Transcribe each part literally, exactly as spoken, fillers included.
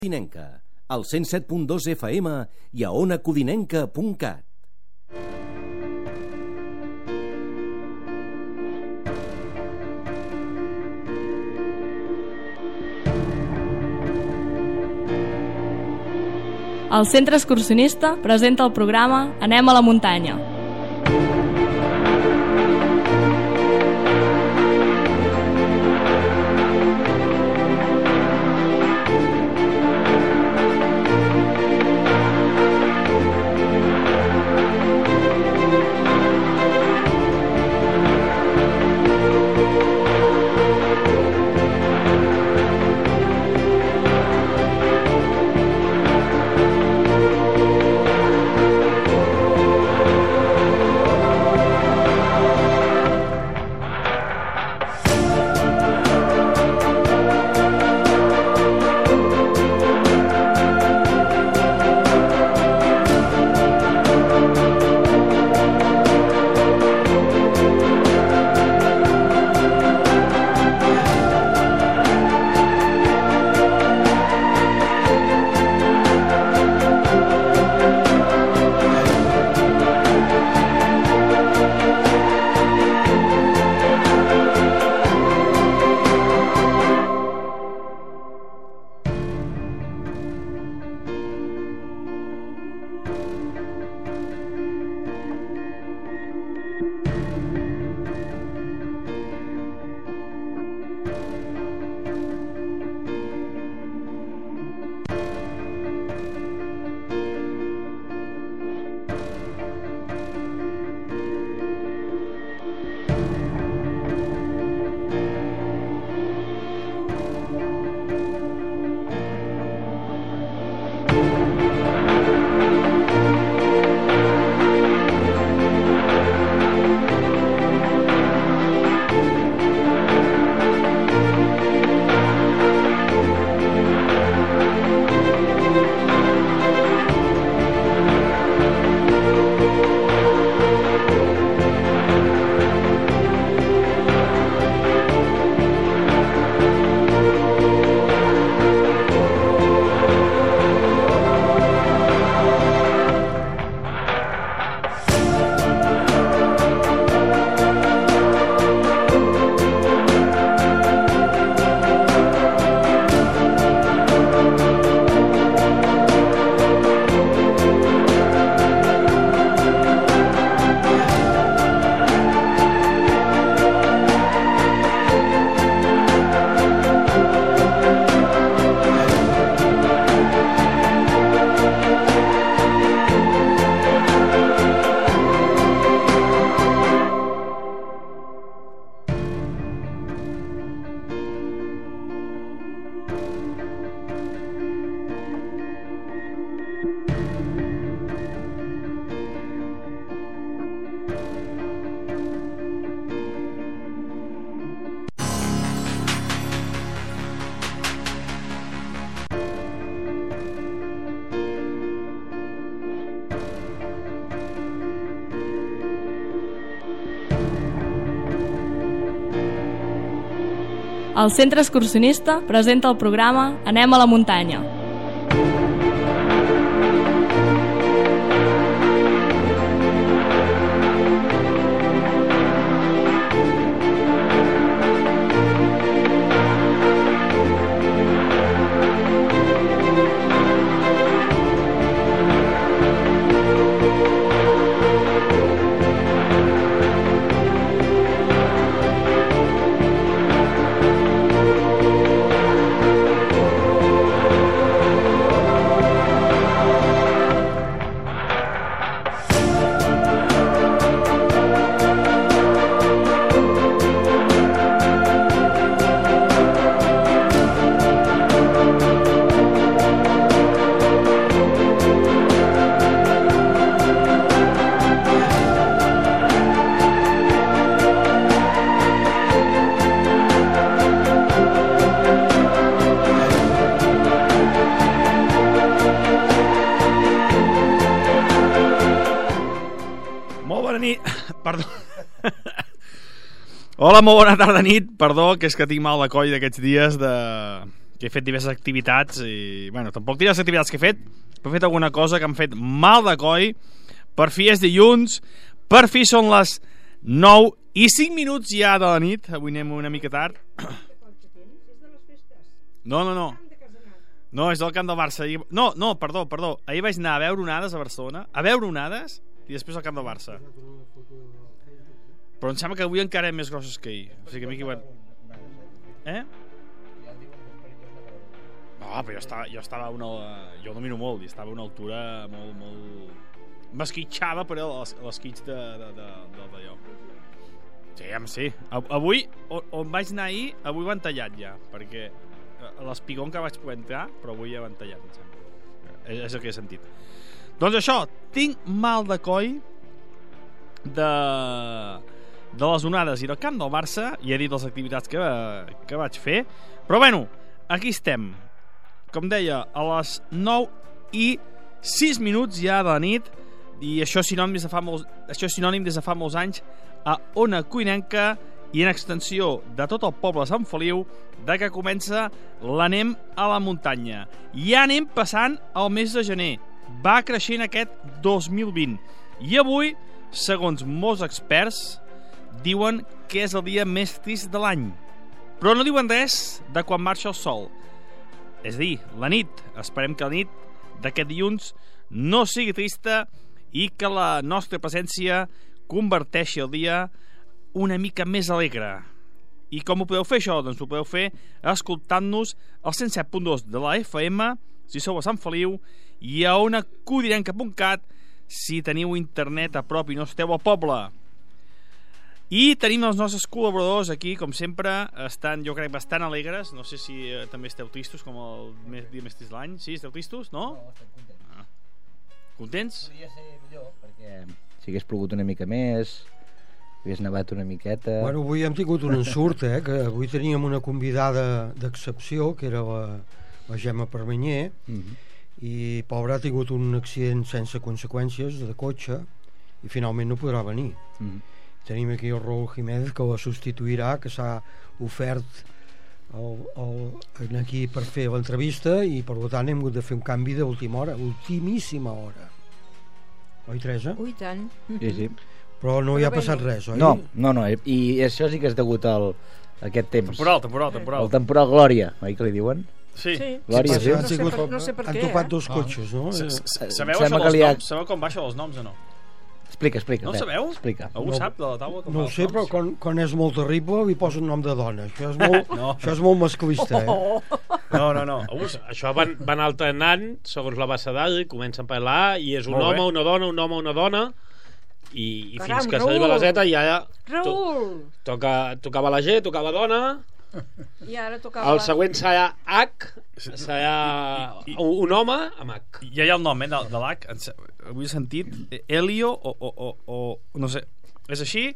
Codinenca, al cent set punt dos F M i a ona codinenca punt cat. El Centre Excursionista presenta el programa Anem a la muntanya. El Centre Excursionista presenta el programa Anem a la muntanya. Perdó. Hola, molt bona tarda nit. Perdó, que és que tinc mal de coll d'aquests dies de... que he fet diverses activitats i, bueno, tampoc diverses activitats que he fet, però he fet alguna cosa que m'ha fet mal de coi. Per fi és dilluns, per fi són les nou i cinc minuts ja de la nit. Avui anem una mica tard. No, no, no. No, és del camp del Barça. No, no, perdó, perdó. Ahir vaig anar a veure onades a Barcelona, a veure onades, i després al camp del Barça. Però em sembla que avui encara eren més grossos que ahir. O sigui que m'he equivocat. Eh? No, però jo estava, jo estava a una... Jo domino molt, i estava a una altura molt, molt... M'esquitxava, però a l'esquitx de, de, de, de, d'allò. Sí, home, sí. Avui, on, on vaig anar ahir, avui ho han tallat ja, perquè l'espigó que vaig poder entrar, però avui ja ho han tallat, em sembla. És, és el que he sentit. Doncs això, tinc mal de coll de... de les onades i del camp del Barça, i he dit les activitats que, que vaig fer, però bueno, aquí estem, com deia, a les nou i sis minuts ja de la nit, i això és sinònim des de fa molts, això és sinònim des de fa molts anys a Ona Codinenca i en extensió de tot el poble de Sant Feliu, de que comença l'anem a la muntanya. Ja anem passant el mes de gener, va creixent aquest dos mil vint, i avui, segons molts experts, diuen que és el dia més trist de l'any, però no diuen res de quan marxa el sol. És a dir, la nit. Esperem que la nit d'aquest dilluns no sigui trista i que la nostra presència converteixi el dia una mica més alegre. I com ho podeu fer això? Doncs ho podeu fer escoltant-nos al cent set punt dos de la F M si sou a Sant Feliu i a ona codinenca punt cat si teniu internet a prop i no esteu al poble. I tenim els nostres col·laboradors aquí, com sempre, estan, jo crec, bastant alegres. No sé si eh, també esteu tristos, com el més, dia més trist de l'any. Sí, esteu tristos, no? No, estem contents. Ah. Contents? Podria ser millor, perquè si hagués plogut una mica més, hagués nevat una miqueta... Bueno, avui hem tingut un ensurt, eh? Que avui teníem una convidada d'excepció, que era la, la Gemma Permanyer, mm-hmm. i pobra ha tingut un accident sense conseqüències de cotxe, i finalment no podrà venir. Mm-hmm. Tenim aquí el Raúl Jiménez, que la substituirà, que s'ha ofert el, el, aquí per fer l'entrevista, i per tant hem hagut de fer un canvi d'última hora, ultimíssima hora. Oi, Teresa? Ui, tant. Sí, sí. Però no hi ha passat res, oi? No, no, no, i això sí que és degut al, a aquest temps. Temporal, temporal, temporal. El temporal Glòria, oi que li diuen? Sí. Sí. Glòria, sí. Han, No sé per- no sé per han què, topat eh? dos cotxes, no? S- s- Eh, Sabeu sembla això que dels li ha- noms? Sabeu com baixa els noms o no? Explica, explica. No ho res, sabeu? Explica. Algú No. sap de la taula com No va ho els sé, però noms? quan, quan és molt terrible li posen nom de dona. Això és molt, No. això és molt masclista, eh? No, no, no. Algú sap. Això van, van alternant segons la bassa d'all, comencen per l'A i és un Molt home, bé. una dona, un home, una dona i, i Caram, fins que Raül. s'arriba a la Z ja to, Raül! toca, tocava la G, tocava dona, I ara tocava... el següent serà H, serà I- i- un, un home amb H. Ja hi ha el nom, eh, de, de l'H. En se- Avui he sentit eh, Helio o, o, o, o... No sé. És així.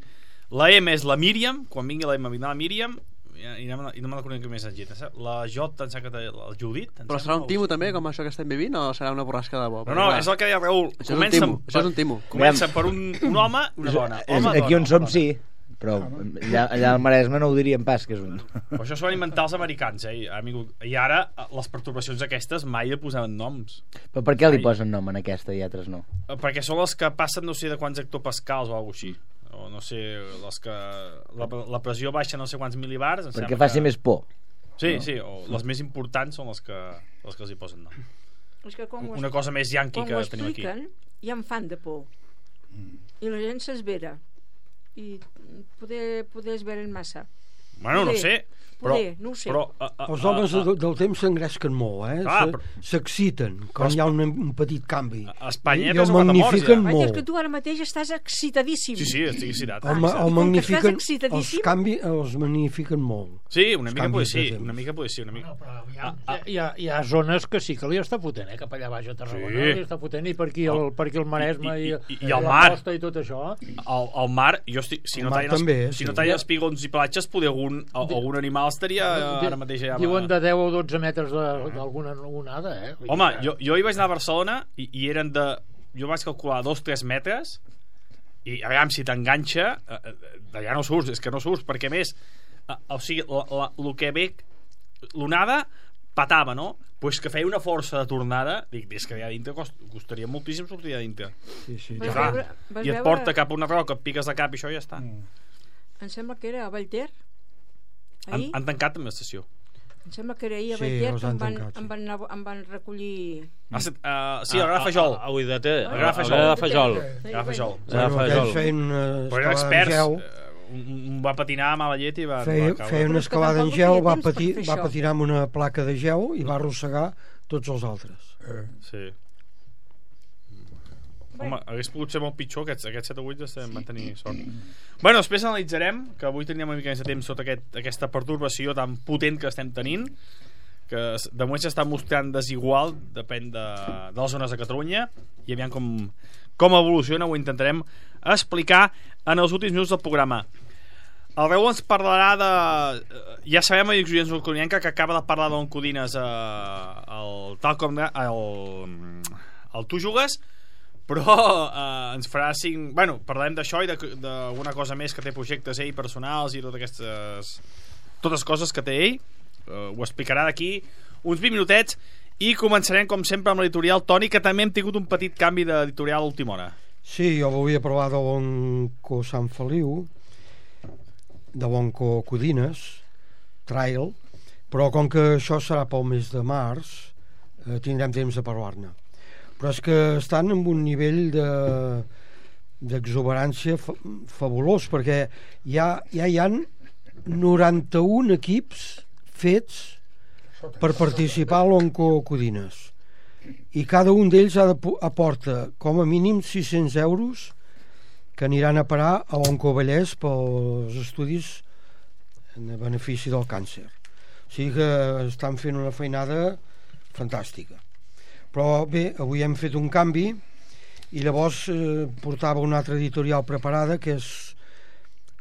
La M és la Míriam. Quan vingui la M vindrà la Míriam. I, i no, i no me la conec més en Gita. La J, em sembla que té el Judit. em Però sembla, serà un o- timo també, com això que estem vivint, o serà una borrasca de bo? No, no, és el que deia Raül. Això és un Comença, timo, això és un timo. comença per un, un home i una dona. És, Home, aquí dona, on som home, sí, però allà, allà al Maresme no ho diríem pas que és un... Però això s'ho van inventar els americans, eh? Amigo. I ara les pertorbacions aquestes mai li posaven noms. Però per què li Ai. posen nom en aquesta i altres no? Perquè són les que passen no sé de quants hectopascals o alguna així. O no sé, les que la, la pressió baixa no sé quants milibars. em Perquè sembla faci que... més por. Sí, sí, o les més importants són les que, les que els hi posen nom. És que quan ho Una cosa més yanqui quan que ho tenim aquí. expliquen, ja em fan de por. I la gent s'esvera. I poder, poder esveren massa. Bueno, no Poder, sé, però... poder, no ho sé. Però, a, a, Els homes a, a, de- del temps s'engresquen molt, eh? Clar, Se- però- S'exciten quan hi ha un, un petit canvi. a Espanya I hi ha el tres o quatre morts, magnifiquen ja. Vaja, és molt. que tu ara mateix estàs excitadíssim. Sí, sí, estic excitat. El, ma- I el com que magnifiquen, estàs els excitadíssim- canvi els magnifiquen molt. Sí, una Els mica canvis pot de sí, temps. una mica pot ser, una mica. No, però hi ha, Ah, ah. hi, ha, hi ha zones que sí que li està fotent, eh? Cap allà baix a Tarragona Sí. li està fotent, i per aquí el, per aquí el Maresme I- i, i- i- i el la mar. costa i tot això. Al, al mar, jo estic, si El no mar tallen, també, els, si sí. no tallen espigons i platges, poder algun, algun animal estaria Di- ara mateix allà. Diuen de deu o dotze metres de- d'alguna onada, eh? Vull Home, dir que- jo, jo hi vaig anar a Barcelona i, i eren de... Jo vaig calcular dos o tres metres i a veure si t'enganxa eh, eh, d'allà no surts, és que no surts perquè a més eh, o sigui, la, la, el que ve l'onada patava, no? Pues que feia una força de tornada, dic, és que allà dintre cost, costaria moltíssim sortir allà dintre. Sí, sí. I, clar, veure, i et veure... porta cap a una roca, et piques de cap i això ja està. Mm. Em sembla que era a Vallter. Han, han tancat amb l'estació. Em sembla que era ahir a Sí, Vallter els que han em van, tancat, sí. em van, anar, em van recollir... Ah, uh, sí, el Gra Fajol. A Uidater. El Gra Fajol. El Gra Fajol. El Gra Fajol. Bueno, aquells feien una Però eren escalada en experts. gel, eh, Un, un va patinar a mala llet i va, feia, va caure. feia una Però és que escalada en tampoc gel, tenia va, temps per patir, fer va això. patinar amb una placa de gel i va arrossegar tots els altres. Sí. Home, hagués pogut ser molt pitjor, aquests, aquests set o vuit van tenir sort. Bueno, després analitzarem, que avui teníem una mica més de temps sota aquest, aquesta pertorbació tan potent que estem tenint, que de moment s'està mostrant desigual, depèn de, de les zones de Catalunya, i aviam com, com evoluciona, ho intentarem explicar en els últims minuts del programa. El Raül ens parlarà de... Ja sabem, a Xuriens Codinenca, que acaba de parlar d'on Codines eh, el, tal com de, el, el Tu Jugues, però eh, ens farà cinc... Bueno, parlarem d'això i d'alguna cosa més que té projectes ell personals i totes aquestes totes coses que té ell. Uh, ho explicarà d'aquí uns vint minutets i començarem com sempre amb l'editorial Toni, que també hem tingut un petit canvi d'editorial a última hora. Sí, jo volia parlar de l'Onco Sant Feliu, de l'Onco Codines Trail, però com que això serà pel mes de març eh, tindrem temps de parlar-ne. Però és que estan en un nivell de d'exuberància fa, fabulós, perquè ja, ja hi han noranta-un equips fets per participar a l'Onco Codines, i cada un d'ells ha de, aporta com a mínim sis-cents euros que aniran a parar a l'Onco Vallès pels estudis en benefici del càncer. O sigui que estan fent una feinada fantàstica. Però bé, avui hem fet un canvi i llavors eh, portava una altra editorial preparada, que és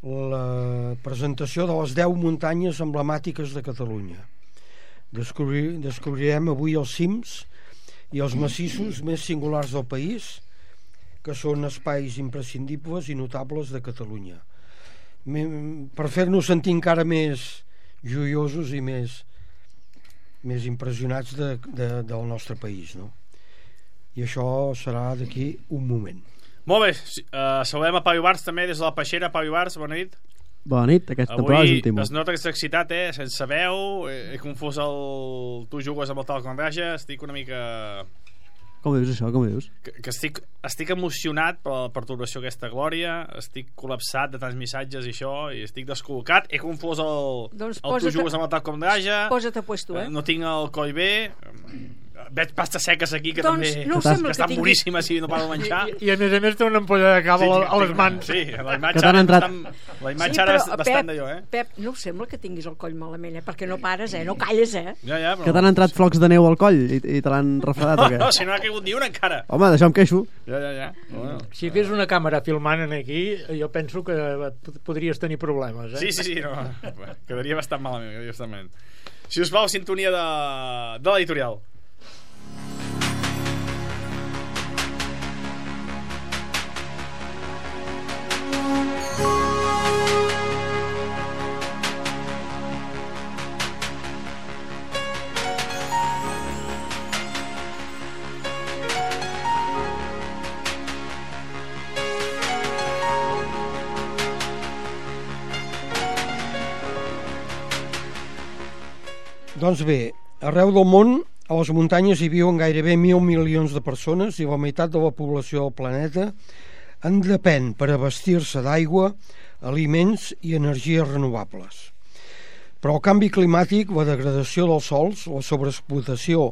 la presentació de les deu muntanyes emblemàtiques de Catalunya. Descobrir, descobrirem avui els cims i els massissos més singulars del país, que són espais imprescindibles i notables de Catalunya. Per fer-nos sentir encara més joiosos i més, més impressionats de, de, del nostre país, no? I això serà d'aquí un moment. Molt bé, uh, saludem a Pau Ibars també des de la Peixera. Pau Ibars, bona nit. Bona nit, aquesta prova és un timo. Avui es nota que està excitat, eh? Sense veu, he, he confós el... Tu jugues amb el tal con Raja, estic una mica... Com dius això, com dius? Que, que estic, estic emocionat per la perturbació aquesta glòria, estic col·lapsat de tants missatges i això, i estic descol·locat, he confós el, doncs el Tu jugues amb el tal com Raja. Posa't a puesto, eh? No tinc el coll bé, veig pastes seques aquí que doncs, també no que, que estan tingui... boníssimes i no paro de menjar. I, I a més a més té una ampolla de cava sí, a les mans. Sí, la imatge ara, entrat... bastant, la imatge sí, ara però, és bastant Pep, d'allò, eh? Pep, no us sembla que tinguis el coll malament, eh? Perquè no pares, eh? No calles, eh? Ja, ja, però... Que t'han entrat flocs de neu al coll i, i te l'han refredat no, o què? no, si no ha caigut ni una encara. Home, d'això em queixo. Ja, ja, ja. Bueno. Si hi hagués una càmera filmant aquí, jo penso que podries tenir problemes, eh? Sí, sí, sí, no. Quedaria bastant malament, quedaria bastant malament. Si us plau, sintonia de, de l'editorial. Doncs bé, arreu del món, a les muntanyes hi viuen gairebé mil milions de persones i la meitat de la població del planeta en depèn per abastir-se d'aigua, aliments i energies renovables. Però el canvi climàtic, la degradació dels sòls, la sobreexplotació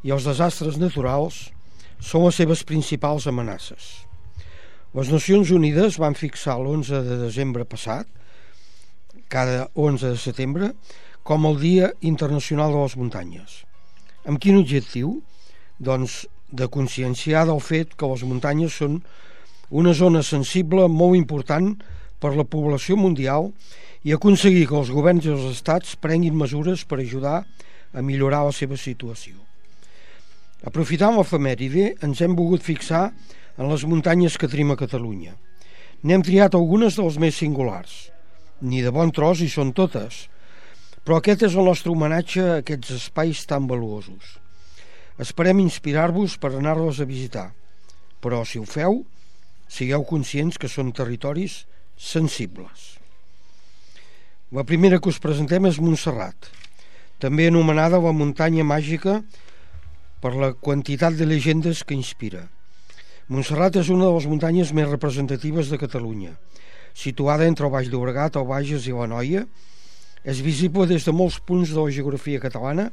i els desastres naturals són les seves principals amenaces. Les Nacions Unides van fixar l'onze de desembre passat, cada onze de setembre, com el Dia Internacional de les Muntanyes. Amb quin objectiu? Doncs de conscienciar del fet que les muntanyes són una zona sensible molt important per la població mundial i aconseguir que els governs i els estats prenguin mesures per ajudar a millorar la seva situació. Aprofitant l'efemèride, ens hem volgut fixar en les muntanyes que tenim a Catalunya. N'hem triat algunes dels més singulars. Ni de bon tros hi són totes, Però aquest és el nostre homenatge a aquests espais tan valuosos. Esperem inspirar-vos per anar-los a visitar, però si ho feu, sigueu conscients que són territoris sensibles. La primera que us presentem és Montserrat, també anomenada la muntanya màgica per la quantitat de llegendes que inspira. Montserrat és una de les muntanyes més representatives de Catalunya. Situada entre el Baix Llobregat, el Bages i l'Anoia, és visible des de molts punts de la geografia catalana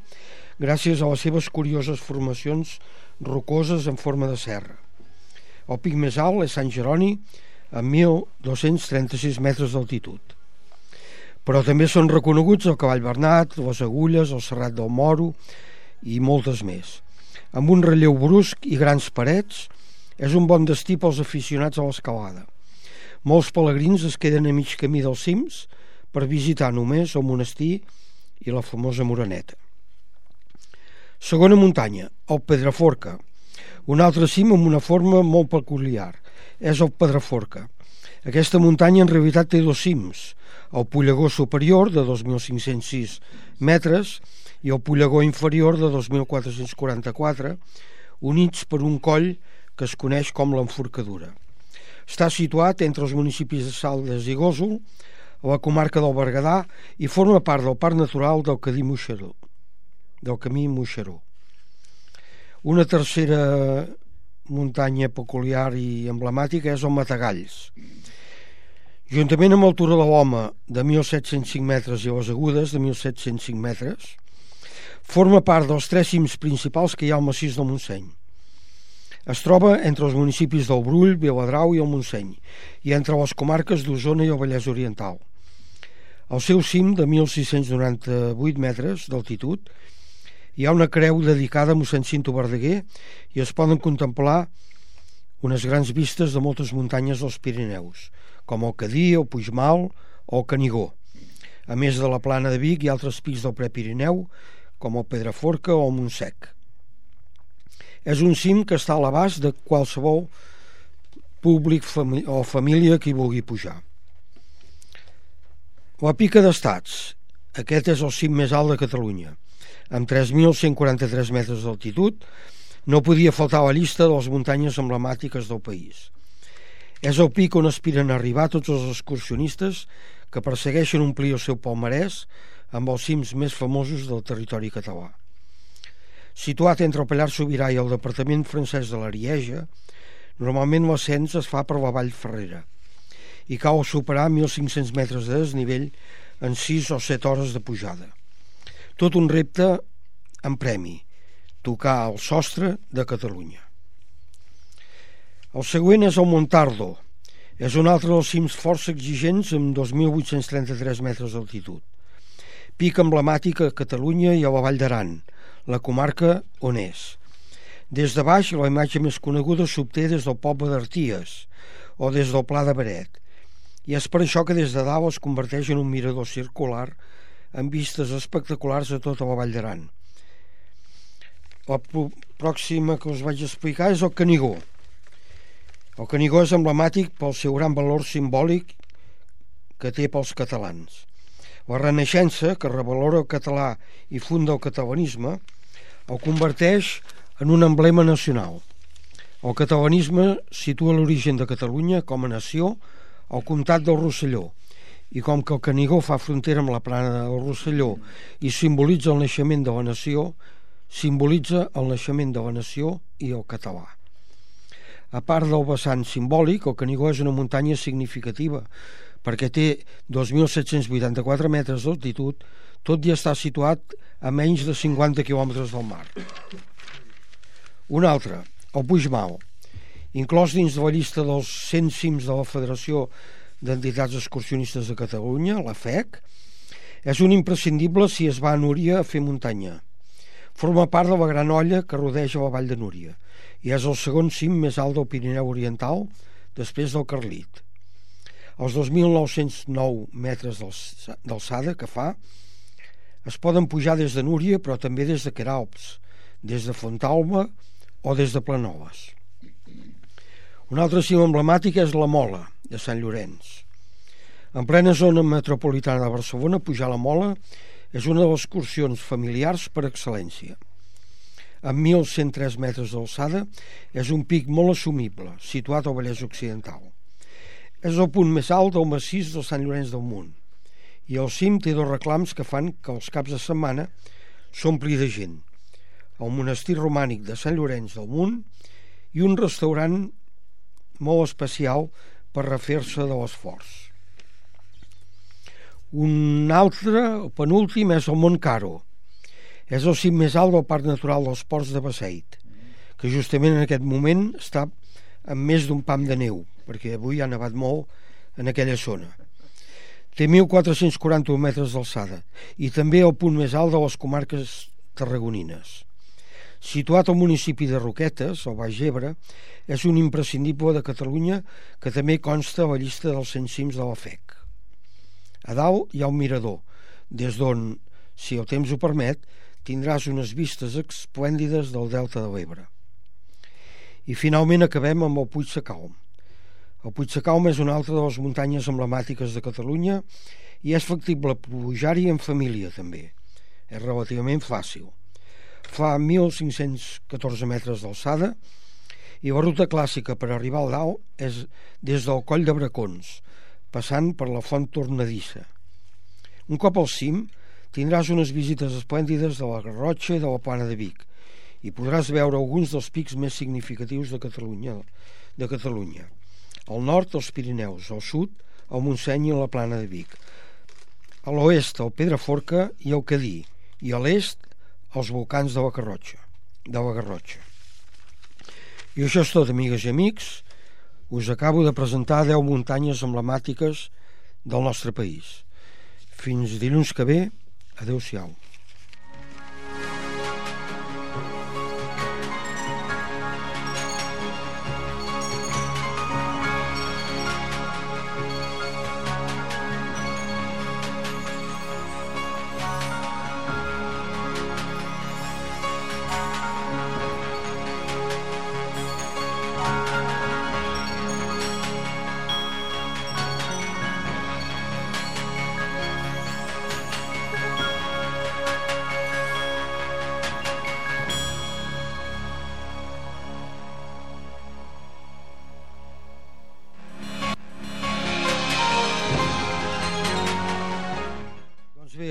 gràcies a les seves curioses formacions rocoses en forma de serra. El pic més alt és Sant Jeroni, amb mil dos-cents trenta-sis metres d'altitud. Però també són reconeguts el Cavall Bernat, les Agulles, el Serrat del Moro i moltes més. Amb un relleu brusc i grans parets, és un bon destí pels aficionats a l'escalada. Molts pelegrins es queden a mig camí dels cims per visitar només el monestir i la famosa Moreneta. Segona muntanya, el Pedraforca, un altre cim amb una forma molt peculiar. És el Pedraforca. Aquesta muntanya en realitat té dos cims, el Pollegó superior de dos mil cinc-cents sis metres i el Pollegó inferior de dos mil quatre-cents quaranta-quatre, units per un coll que es coneix com l'Enforcadura. Està situat entre els municipis de Saldes i Gósol, a la comarca del Berguedà, i forma part del Parc Natural del Cadí Moixeró, del Camí Moixeró. Una tercera muntanya peculiar i emblemàtica és el Matagalls. Juntament amb l'altura de l'Home de mil set-cents cinc metres i les Agudes de mil set-cents cinc metres, forma part dels tres cims principals que hi ha al massís del Montseny. Es troba entre els municipis del Brull, Viladrau i el Montseny, i entre les comarques d'Osona i el Vallès Oriental. Al seu cim, de mil sis-cents noranta-vuit metres d'altitud, hi ha una creu dedicada a mossèn Cinto Verdaguer i es poden contemplar unes grans vistes de moltes muntanyes dels Pirineus, com el Cadí, el Puigmal o el Canigó, a més de la Plana de Vic i altres pics del Prepirineu, com el Pedraforca o el Montsec. És un cim que està a l'abast de qualsevol públic o família que hi vulgui pujar. La Pica d'Estats. Aquest és el cim més alt de Catalunya. Amb tres mil cent quaranta-tres metres d'altitud, no podia faltar a la llista de les muntanyes emblemàtiques del país. És el pic on aspiren a arribar tots els excursionistes que persegueixen omplir el seu palmarès amb els cims més famosos del territori català. Situat entre el Pallars Sobirà i el departament francès de l'Arieja, normalment l'ascens es fa per la Vall Ferrera i cal superar mil cinc-cents metres de desnivell en sis o set hores de pujada. Tot un repte en premi, tocar el sostre de Catalunya. El següent és el Montardo. És un altre dels cims força exigents amb dos mil vuit-cents trenta-tres metres d'altitud. Pic emblemàtic a Catalunya i a la Vall d'Aran, la comarca on és. Des de baix, la imatge més coneguda s'obté des del poble d'Arties o des del Pla de Beret, i és per això que des de dalt es converteix en un mirador circular amb vistes espectaculars a tota la Vall d'Aran. La pròxima que us vaig explicar és el Canigó. El Canigó és emblemàtic pel seu gran valor simbòlic que té pels catalans. La Renaixença, que revalora el català i funda el catalanisme, el converteix en un emblema nacional. El catalanisme situa l'origen de Catalunya com a nació al comtat del Rosselló, i com que el Canigó fa frontera amb la plana del Rosselló i simbolitza el naixement de la nació, simbolitza el naixement de la nació i el català. A part del vessant simbòlic, el Canigó és una muntanya significativa perquè té dos mil set-cents vuitanta-quatre metres d'altitud, tot i estar situat a menys de cinquanta quilòmetres del mar. Un altre, el Puigmal, inclòs dins de la llista dels cent cims de la Federació d'Entitats Excursionistes de Catalunya, la F E C, és un imprescindible si es va a Núria a fer muntanya. Forma part de la Gran Olla que rodeja la Vall de Núria i és el segon cim més alt del Pirineu Oriental després del Carlit. Els dos mil nou-cents nou metres d'alçada que fa es poden pujar des de Núria però també des de Queralbs, des de Fontalba o des de Planoles. Un altre cim emblemàtic és la Mola, de Sant Llorenç. En plena zona metropolitana de Barcelona, pujar la Mola És una de les excursions familiars per excel·lència. Amb mil cent tres metres d'alçada, és un pic molt assumible, situat al Vallès Occidental. És el punt més alt del massís de Sant Llorenç del Munt, i al cim té dos reclams que fan que els caps de setmana s'ompli de gent. El monestir romànic de Sant Llorenç del Munt i un restaurant molt especial per refer-se de l'esforç. Un altre, el penúltim, és el Mont Caro. És el cim més alt del Parc Natural dels Ports de Beseit, que justament en aquest moment està amb més d'un pam de neu, perquè avui ha nevat molt en aquella zona. Té mil quatre-cents quaranta metres d'alçada i també el punt més alt de les comarques tarragonines. Situat al municipi de Roquetes, al Baix Ebre, és un imprescindible de Catalunya que també consta a la llista dels cent cims de la F E C. A dalt hi ha un mirador, des d'on, si el temps ho permet, tindràs unes vistes esplèndides del Delta de l'Ebre. I finalment acabem amb el Puig Sacalm. El Puig Sacalm és una altra de les muntanyes emblemàtiques de Catalunya i és factible pujar-hi en família també. És relativament fàcil. Fa mil cinc-cents catorze metres d'alçada i la ruta clàssica per arribar al dalt és des del Coll de Bracons, passant per la Font Tornadissa. Un cop al cim tindràs unes visites esplèndides de la Garrotxa i de la Plana de Vic i podràs veure alguns dels pics més significatius de Catalunya. De Catalunya. Al nord, els Pirineus, al sud, el Montseny i la Plana de Vic. A l'oest, el Pedraforca i el Cadí, i a l'est, els volcans de la Garrotxa. De la Garrotxa. I això és tot, amigues i amics. Us acabo de presentar deu muntanyes emblemàtiques del nostre país. Fins dilluns que ve. Adéu-siau.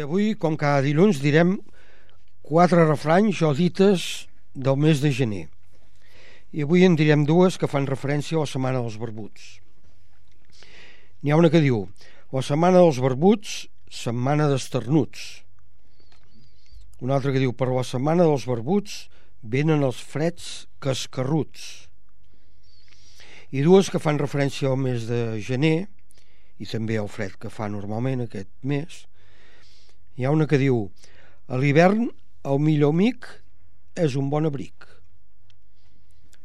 Avui, com cada dilluns, direm quatre refranys o dites del mes de gener. I avui en direm dues que fan referència a la Setmana dels Barbuts. N'hi ha una que diu: la Setmana dels Barbuts, setmana d'esternuts. Una altra que diu: per la Setmana dels Barbuts venen els freds cascarruts. I dues que fan referència al mes de gener i també al fred que fa normalment aquest mes. Hi ha una que diu: a l'hivern el millor amic és un bon abric.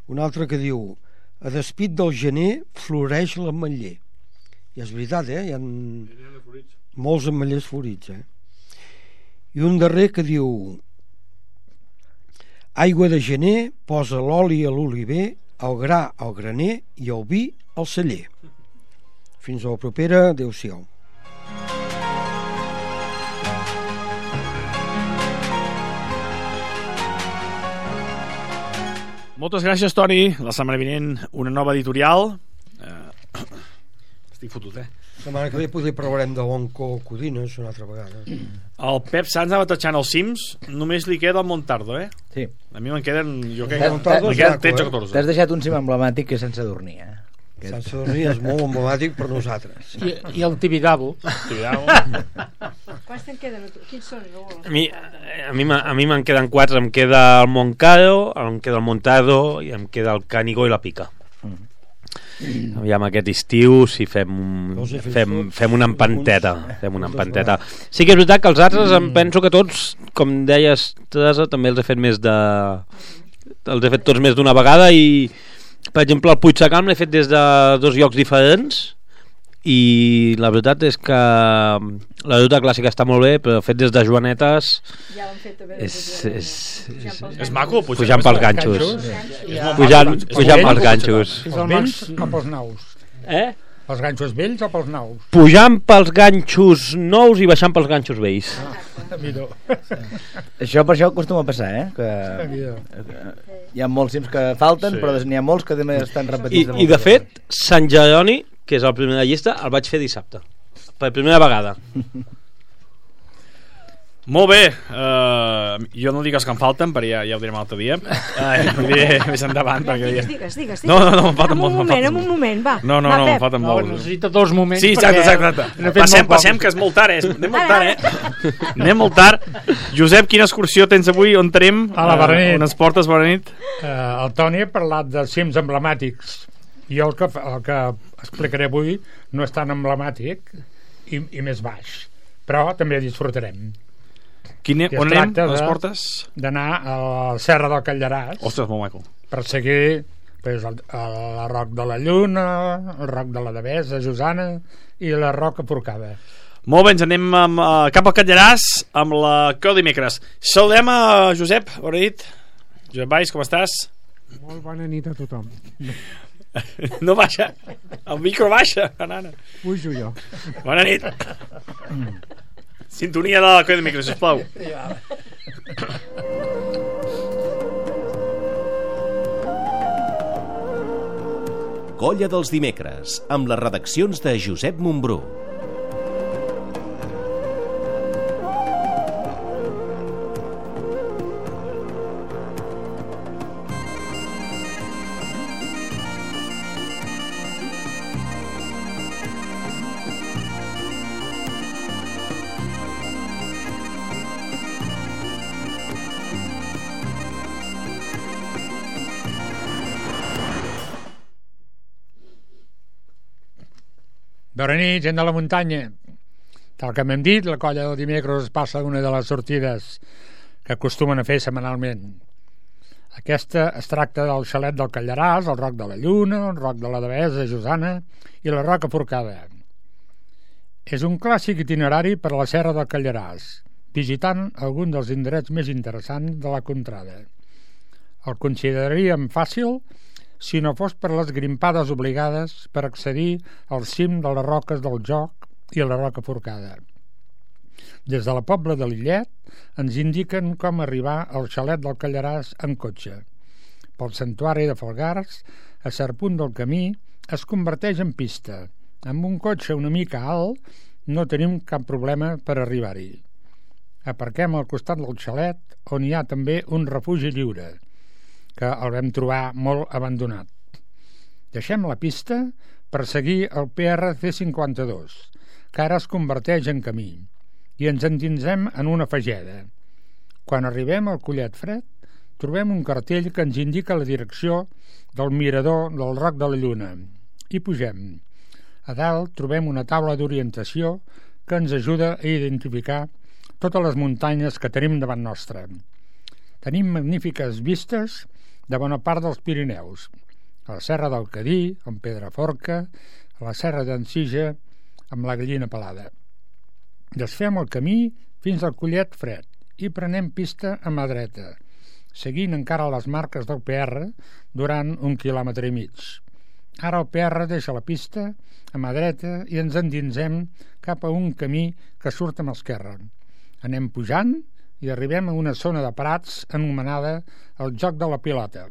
Una altra que diu: a despit del gener floreix l'ametller. I és veritat, eh? Hi ha molts ametllers florits, eh? I un darrer que diu: aigua de gener posa l'oli a l'oliver, el gra al graner i el vi al celler. Fins a la propera. Adéu-siau. Moltes gràcies, Toni. La setmana vinent una nova editorial. Eh, estic fotut, eh? La setmana que ve potser parlarem de l'Onco Codines una altra vegada. El Pep Sanz anava tatxant els cims. Només li queda el Montardo, eh? Sí. A mi me'n queden, jo crec, Montardo me queden tretze o catorze. T'has deixat un cim emblemàtic que és sense dormir, eh? Sense dormir és molt emblemàtic per nosaltres. I, i el Tibidabo. Tibidabo. Quants te'n queden? Quins són, Raül? A mi, a mi, a mi me'n queden quatre. Em queda el Montcado, em queda el Montardo i em queda el Cànigo i la Pica. Mm. Aviam aquest estiu si fem, fem, fem una empanteta. Fem una empanteta. Sí que és veritat que els altres em penso que tots, com deies, Teresa, també els he fet més de... els he fet tots més d'una vegada i, per exemple, el Puig Sacalm l'he fet des de dos llocs diferents i la veritat és que la ruta clàssica està molt bé, però fet des de Joanetes ja l'han fet a veure, és, és, és, és maco pujar, pujant pels ganxos, ganxos. pujant, pujant pels ganxos Els vells o pels nous? eh? Pels ganxos vells o pels nous? Pujant pels ganxos nous i baixant pels ganxos vells. Exacte. A mi no. Això per això acostuma a passar, eh? Que A mi no. hi ha molts cims que falten, Sí. però n'hi ha molts que també estan I, repetits. I de fet, Sant Jeroni, que és el primer de la llista, el vaig fer dissabte. Per primera vegada. Molt bé, uh, jo no dic els que em falten, perquè ja, ja ho direm l'altre dia. Uh, ho diré més endavant. Perquè Digues, ja... digues, digues. No, no, no, me'n falten En un molts. me'n moment, falten en un molts. moment, va. No, no, Va, no, me'n Pep. falten No, molts. necessita dos moments. Sí, exacte, perquè exacte. n'he fet Passem, molt passem, pocs. que és molt tard, eh? Anem molt tard, eh? Anem molt tard. Josep, quina excursió tens avui? On tenim? A la Berenit. Uh, on ens portes, Berenit? Uh, el Toni ha parlat de cims emblemàtics. Jo el que, el que explicaré avui no és tan emblemàtic i, i més baix, però també disfrutarem. Quin, I es on anem? tracta On les de- portes? D'anar a la Serra del Callaràs. Ostres, molt maco. Per seguir pues, el, el Roc de la Lluna, el Roc de la Devesa, Josana i la Roca Forcada. Molt bé, ens anem amb, uh, cap al Callaràs amb la Cau dimecres. Saludem a Josep, bona nit. Josep Valls, com estàs? Molt bona nit a tothom. No baixa, el micro baixa, nana. Pujo jo. Bona nit. Sintonia de la Cau dimecres, sisplau. Colla dels dimecres, amb les redaccions de Josep Montbrú. Bona nit, gent de la muntanya. Tal com hem dit, la colla del dimecres passa d'una de les sortides que acostumen a fer setmanalment. Aquesta es tracta del xalet del Callaràs, el Roc de la Lluna, el Roc de la Devesa, Josana i la Roca Forcada. És un clàssic itinerari per a la Serra del Callaràs, visitant algun dels indrets més interessants de la contrada. El consideraríem fàcil si no fos per les grimpades obligades per accedir al cim de les roques del Joc i a la Roca Forcada. Des de la Pobla de Lillet ens indiquen com arribar al xalet del Callaràs en cotxe. Pel santuari de Falgars, a cert punt del camí, es converteix en pista. Amb un cotxe una mica alt no tenim cap problema per arribar-hi. Aparquem al costat del xalet, on hi ha també un refugi lliure, que el vam trobar molt abandonat. Deixem la pista per seguir el P R C cinquanta-dos, que ara es converteix en camí, i ens endinsem en una fageda. Quan arribem al Collet Fred, trobem un cartell que ens indica la direcció del mirador del Roc de la Lluna, i pugem. A dalt trobem una taula d'orientació que ens ajuda a identificar totes les muntanyes que tenim davant nostra. Tenim magnífiques vistes de bona part dels Pirineus, a la Serra del Cadí, amb Pedraforca, a la Serra d'Ensija, amb la Gallina Pelada. Desfem el camí fins al Collet Fred i prenem pista a mà dreta, seguint encara les marques del P R durant un quilòmetre i mig. Ara el P R deixa la pista a mà dreta i ens endinsem cap a un camí que surt a mà esquerra. Anem pujant i arribem a una zona de prats anomenada el Joc de la Pilota,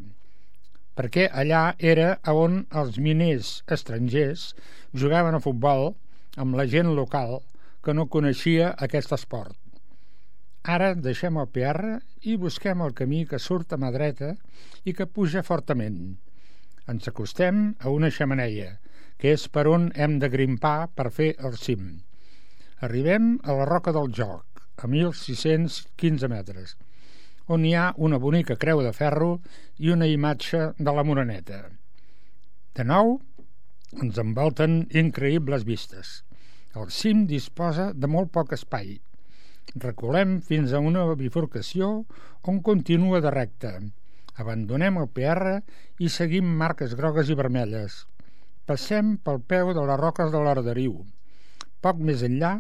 perquè allà era on els miners estrangers jugaven a futbol amb la gent local que no coneixia aquest esport. Ara deixem el P R i busquem el camí que surt a mà dreta i que puja fortament. Ens acostem a una xemeneia, que és per on hem de grimpar per fer el cim. Arribem a la Roca del Joc, a mil sis-cents quinze metres, on hi ha una bonica creu de ferro i una imatge de la Moreneta. De nou, ens envolten increïbles vistes. El cim disposa de molt poc espai. Reculem fins a una bifurcació on continua de recte. Abandonem el P R i seguim marques grogues i vermelles. Passem pel peu de les roques de l'Arderiu. Poc més enllà,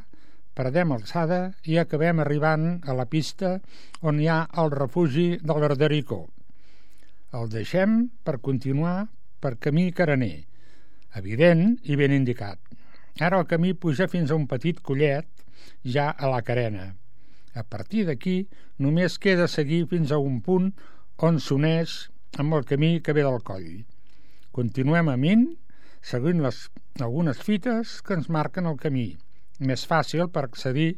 perdem alçada i acabem arribant a la pista on hi ha el refugi de l'Ardericó. El deixem per continuar per camí carener, evident i ben indicat. Ara el camí puja fins a un petit collet ja a la carena. A partir d'aquí, només queda seguir fins a un punt on s'uneix amb el camí que ve del coll. Continuem amint, seguint les, algunes fites que ens marquen el camí, més fàcil per accedir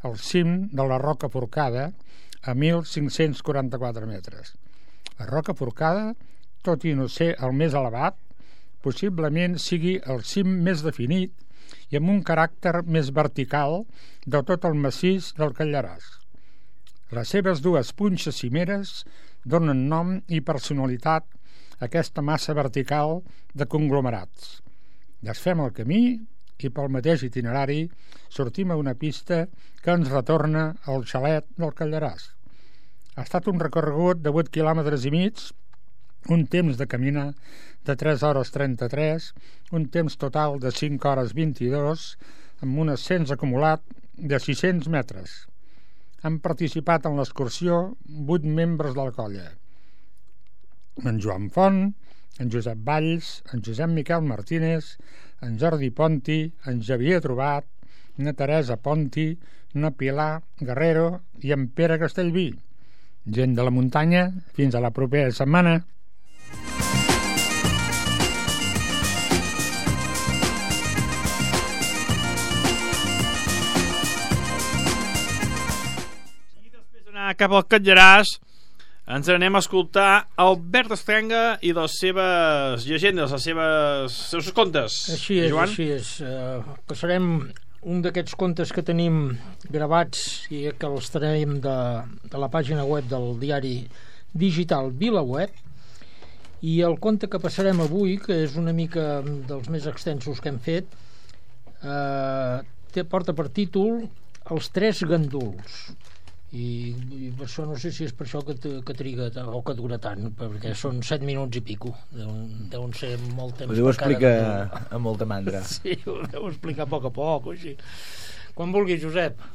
al cim de la Roca Forcada a mil cinc-cents quaranta-quatre metres. La Roca Forcada, tot i no ser el més elevat, possiblement sigui el cim més definit i amb un caràcter més vertical de tot el massís del Calderàs. Les seves dues punxes cimeres donen nom i personalitat a aquesta massa vertical de conglomerats. Desfem el camí i pel mateix itinerari sortim a una pista que ens retorna al xalet del Calderàs. Ha estat un recorregut de vuit quilòmetres i mig, un temps de caminar de tres hores trenta-tres, un temps total de cinc hores vint-i-dos, amb un ascens acumulat de sis-cents metres. Han participat en l'excursió vuit membres de la colla. En Joan Font, en Josep Valls, en Josep Miquel Martínez, en Jordi Ponti, en Xavier Trobat, na Teresa Ponti, na Pilar Guerrero i en Pere Castellví. Gent de la muntanya, fins a la propera setmana. I després d'anar cap al Calderàs ens anem a escoltar Albert Estrenga i les seves llegendes, les seves, els seus contes. Així és, Joan? així és. Uh, passarem un d'aquests contes que tenim gravats i que els tenim de, de la pàgina web del diari digital VilaWeb, i el conte que passarem avui, que és una mica dels més extensos que hem fet, eh, té, porta per títol Els tres ganduls. I, i per això no sé si és per això que, que triga o que dura tant, perquè són set minuts i pico, deuen, deuen ser molt temps. Ho deu explicar amb molta mandra. Sí, ho deu explicar a poc a poc o així. Quan vulgui, Josep.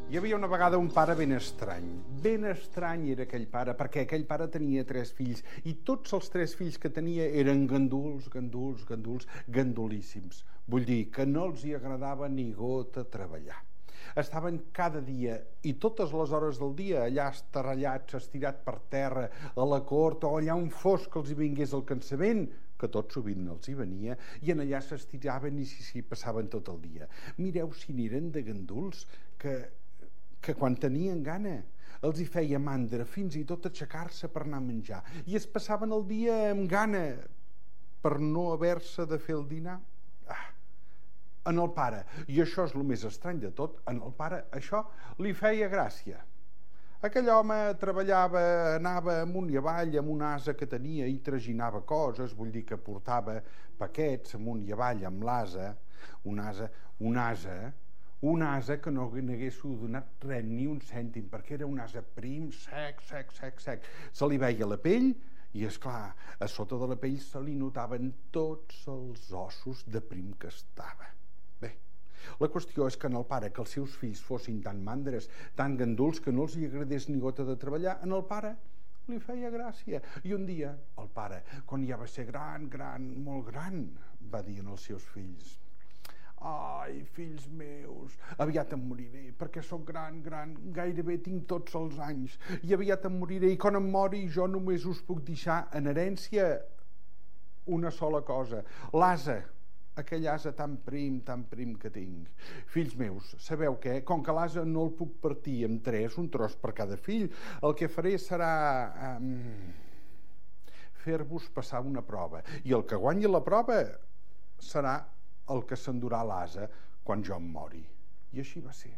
Hi havia una vegada un pare ben estrany. Ben estrany era aquell pare, perquè aquell pare tenia tres fills i tots els tres fills que tenia eren ganduls, ganduls, ganduls, gandulíssims. Vull dir que no els hi agradava ni gota treballar. Estaven cada dia i totes les hores del dia allà estarrellats, estirat per terra, a la cort o allà on fos que els hi vingués el cansament, que tot sovint els hi venia, i en allà s'estiraven i s'hi passaven tot el dia. Mireu si n'eren de ganduls que... que quan tenien gana els hi feia mandra fins i tot aixecar-se per anar a menjar i es passaven el dia amb gana per no haver-se de fer el dinar. Ah, en el pare, i això és el més estrany de tot, en el pare això li feia gràcia. Aquell home treballava, anava amunt i avall amb un ase que tenia i traginava coses, vull dir que portava paquets amunt i avall amb l'ase, un ase, un ase un ase que no n'hagués donat res, ni un cèntim, perquè era un ase prim, sec, sec, sec, sec. Se li veia la pell i, esclar, a sota de la pell se li notaven tots els ossos de prim que estava. Bé, la qüestió és que en el pare, que els seus fills fossin tan mandres, tan ganduls, que no els hi agradés ni gota de treballar, en el pare li feia gràcia. I un dia, el pare, quan ja va ser gran, gran, molt gran, va dir als seus fills: ai, fills meus, aviat em moriré, perquè sóc gran, gran, gairebé tinc tots els anys, i aviat em moriré, i quan em mori jo només us puc deixar en herència una sola cosa, l'ase, aquell ase tan prim, tan prim que tinc. Fills meus, sabeu què? Com que l'ase no el puc partir en tres, un tros per cada fill, el que faré serà um, fer-vos passar una prova, i el que guanyi la prova serà el que s'endurà l'ase quan jo em mori. I així va ser.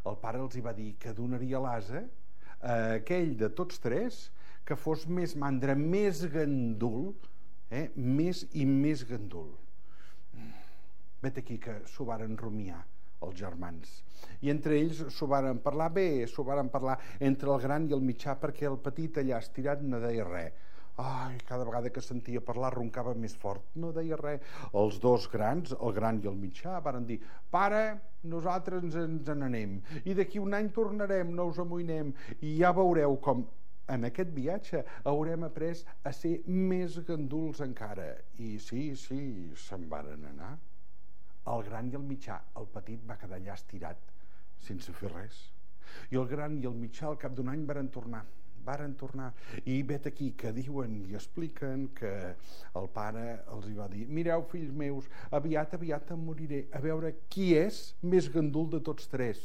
El pare els hi va dir que donaria l'ase a aquell de tots tres que fos més mandra, més gandul, eh? més i més gandul. Vet aquí que s'ho varen rumiar els germans. I entre ells s'ho varen parlar bé, s'ho varen parlar entre el gran i el mitjà, perquè el petit allà estirat no deia res. Ai, cada vegada que sentia parlar roncava més fort, no deia res. Els dos grans, el gran i el mitjà, varen dir: pare, nosaltres ens, ens n'anem, i d'aquí un any tornarem, no us amoïnem, i ja veureu com en aquest viatge haurem après a ser més ganduls encara. I sí, sí, se'n varen anar. El gran i el mitjà, el petit va quedar allà estirat, sense fer res. I el gran i el mitjà al cap d'un any varen tornar. Varen tornar. I vet aquí que diuen i expliquen que el pare els hi va dir: mireu, fills meus, aviat, aviat em moriré, a veure qui és més gandul de tots tres.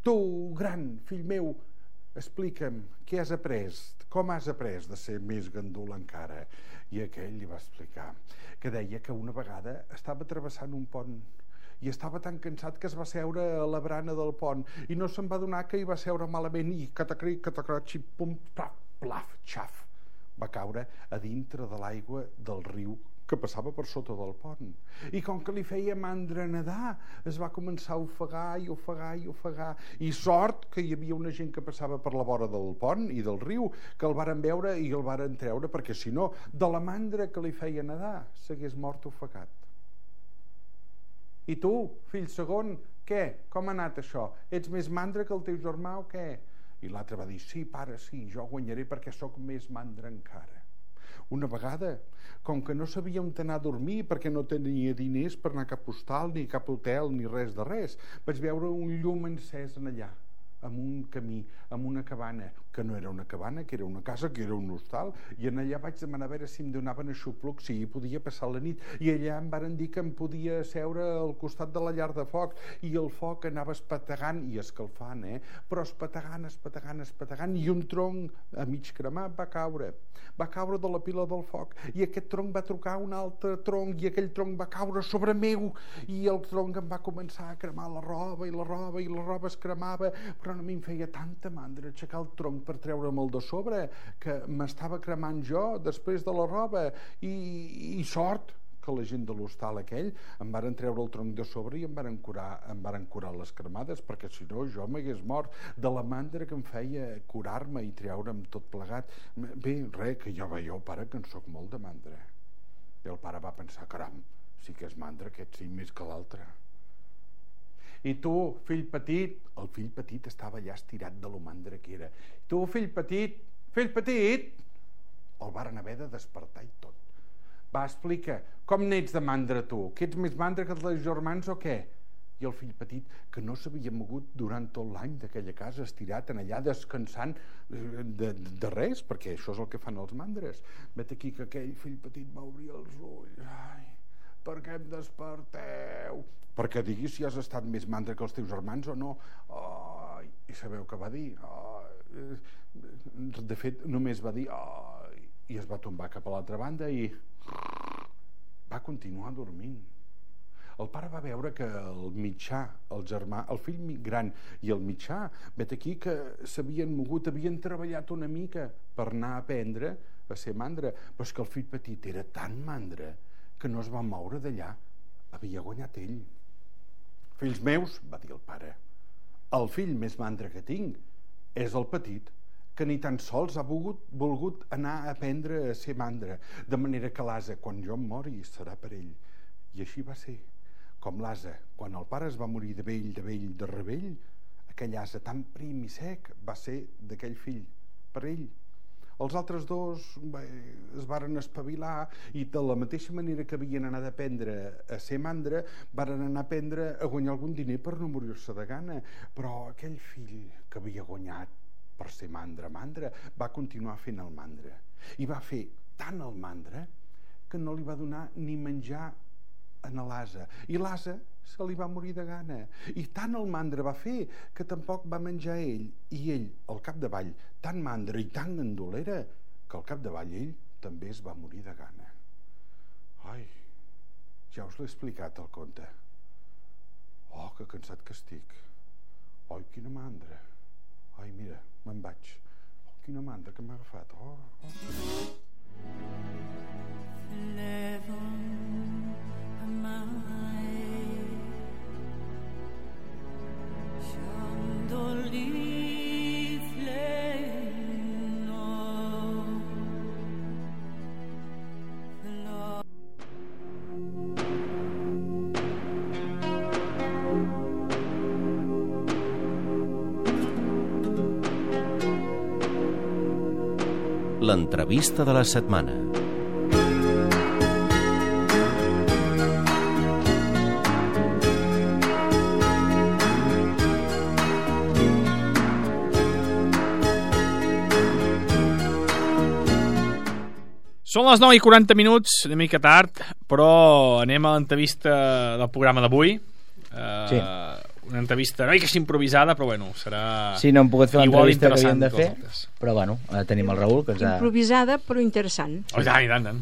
Tu, gran, fill meu, explica'm, què has après? Com has après de ser més gandul encara? I aquell li va explicar que deia que una vegada estava travessant un pont i estava tan cansat que es va seure a la brana del pont i no se'n va donar que hi va seure malament i catacri, catacrochi, pum, plaf, plaf, xaf. Va caure a dintre de l'aigua del riu que passava per sota del pont. I com que li feia mandra nedar, es va començar a ofegar i ofegar i ofegar. I sort que hi havia una gent que passava per la vora del pont i del riu, que el varen veure i el varen treure, perquè si no, de la mandra que li feia nedar, s'hagués mort ofegat. I tu, fill segon, què? Com ha anat això? Ets més mandra que el teu germà o què? I l'altre va dir: sí, pare, sí, jo guanyaré perquè sóc més mandra encara. Una vegada, com que no sabia on anar a dormir perquè no tenia diners per anar a cap hostal, ni cap hotel, ni res de res, vaig veure un llum encès en allà, amb un camí, amb una cabana, que no era una cabana, que era una casa, que era un hostal, i en allà vaig demanar a veure si em donaven aixopluc, si hi podia passar la nit, i allà em varen dir que em podia seure al costat de la llar de foc, i el foc anava espetegant i escalfant, eh? Però espetegant, espetegant, espetegant, i un tronc a mig cremat va caure, va caure de la pila del foc, i aquest tronc va trucar un altre tronc, i aquell tronc va caure sobre meu, i el tronc em va començar a cremar la roba, i la roba, i la roba es cremava, però a mi em feia tanta mandra aixecar el tronc per treure'm el de sobre que m'estava cremant jo després de la roba i, i sort que la gent de l'hostal aquell em varen treure el tronc de sobre i em varen curar, em varen curar les cremades, perquè si no jo m'hagués mort de la mandra que em feia curar-me i treure'm tot plegat. Bé, res, que jo veieu, pare, que en soc molt de mandra. I el pare va pensar: caram, sí que és mandra aquest, sí, més que l'altre. I tu, fill petit, el fill petit estava allà estirat de lo mandra que era. Tu, fill petit, fill petit, el varen haver de despertar i tot. Va, explica, com n'ets de mandra tu? Que ets més mandra que els teus germans o què? I el fill petit, que no s'havia mogut durant tot l'any d'aquella casa, estirat en allà descansant de, de res, perquè això és el que fan els mandres. Vet aquí que aquell fill petit va obrir els ulls. Ai, per què em desperteu? Perquè diguis si has estat més mandra que els teus germans o no. Ai, i sabeu què va dir? Ai, de fet, només va dir ai, i es va tombar cap a l'altra banda i va continuar dormint. El pare va veure que el mitjà, el germà, el fill gran i el mitjà, vet aquí que s'havien mogut, havien treballat una mica per anar a aprendre a ser mandra, però és que el fill petit era tan mandra que no es va moure d'allà. Havia guanyat ell. Fills meus, va dir el pare, el fill més mandra que tinc és el petit, que ni tan sols ha volgut, volgut anar a aprendre a ser mandra, de manera que l'ase, quan jo em mori, serà per ell. I així va ser. Com l'ase, quan el pare es va morir de vell, de vell, de rebell, aquell ase tan prim i sec va ser d'aquell fill, per ell. Els altres dos bé, es varen espavilar i de la mateixa manera que havien anat a aprendre a ser mandra, varen anar a aprendre a guanyar algun diner per no morir-se de gana. Però aquell fill que havia guanyat per ser mandra, mandra, va continuar fent el mandra. I va fer tant el mandra que no li va donar ni menjar en l'ase. I l'ase se li va morir de gana. I tant el mandra va fer que tampoc va menjar ell. I ell, al capdavall, tan mandra i tan gandolera que al capdavall ell també es va morir de gana. Ai, ja us l'he explicat el conte. Oh, que cansat que estic. Ai, quina mandra. Ai, mira, me'n vaig. Oh, quina mandra que m'ha agafat. Oh, oh. l'entrevista de la setmana. Són les nou i quaranta minuts, una mica tard, però anem a l'entrevista del programa d'avui. Uh, sí. Una entrevista no és improvisada, però bueno, serà... Sí, no hem pogut fer l'entrevista que havíem de fer, però bueno, tenim el Raül, que ens ha... Improvisada, però interessant. Oh, tant, tant, tant.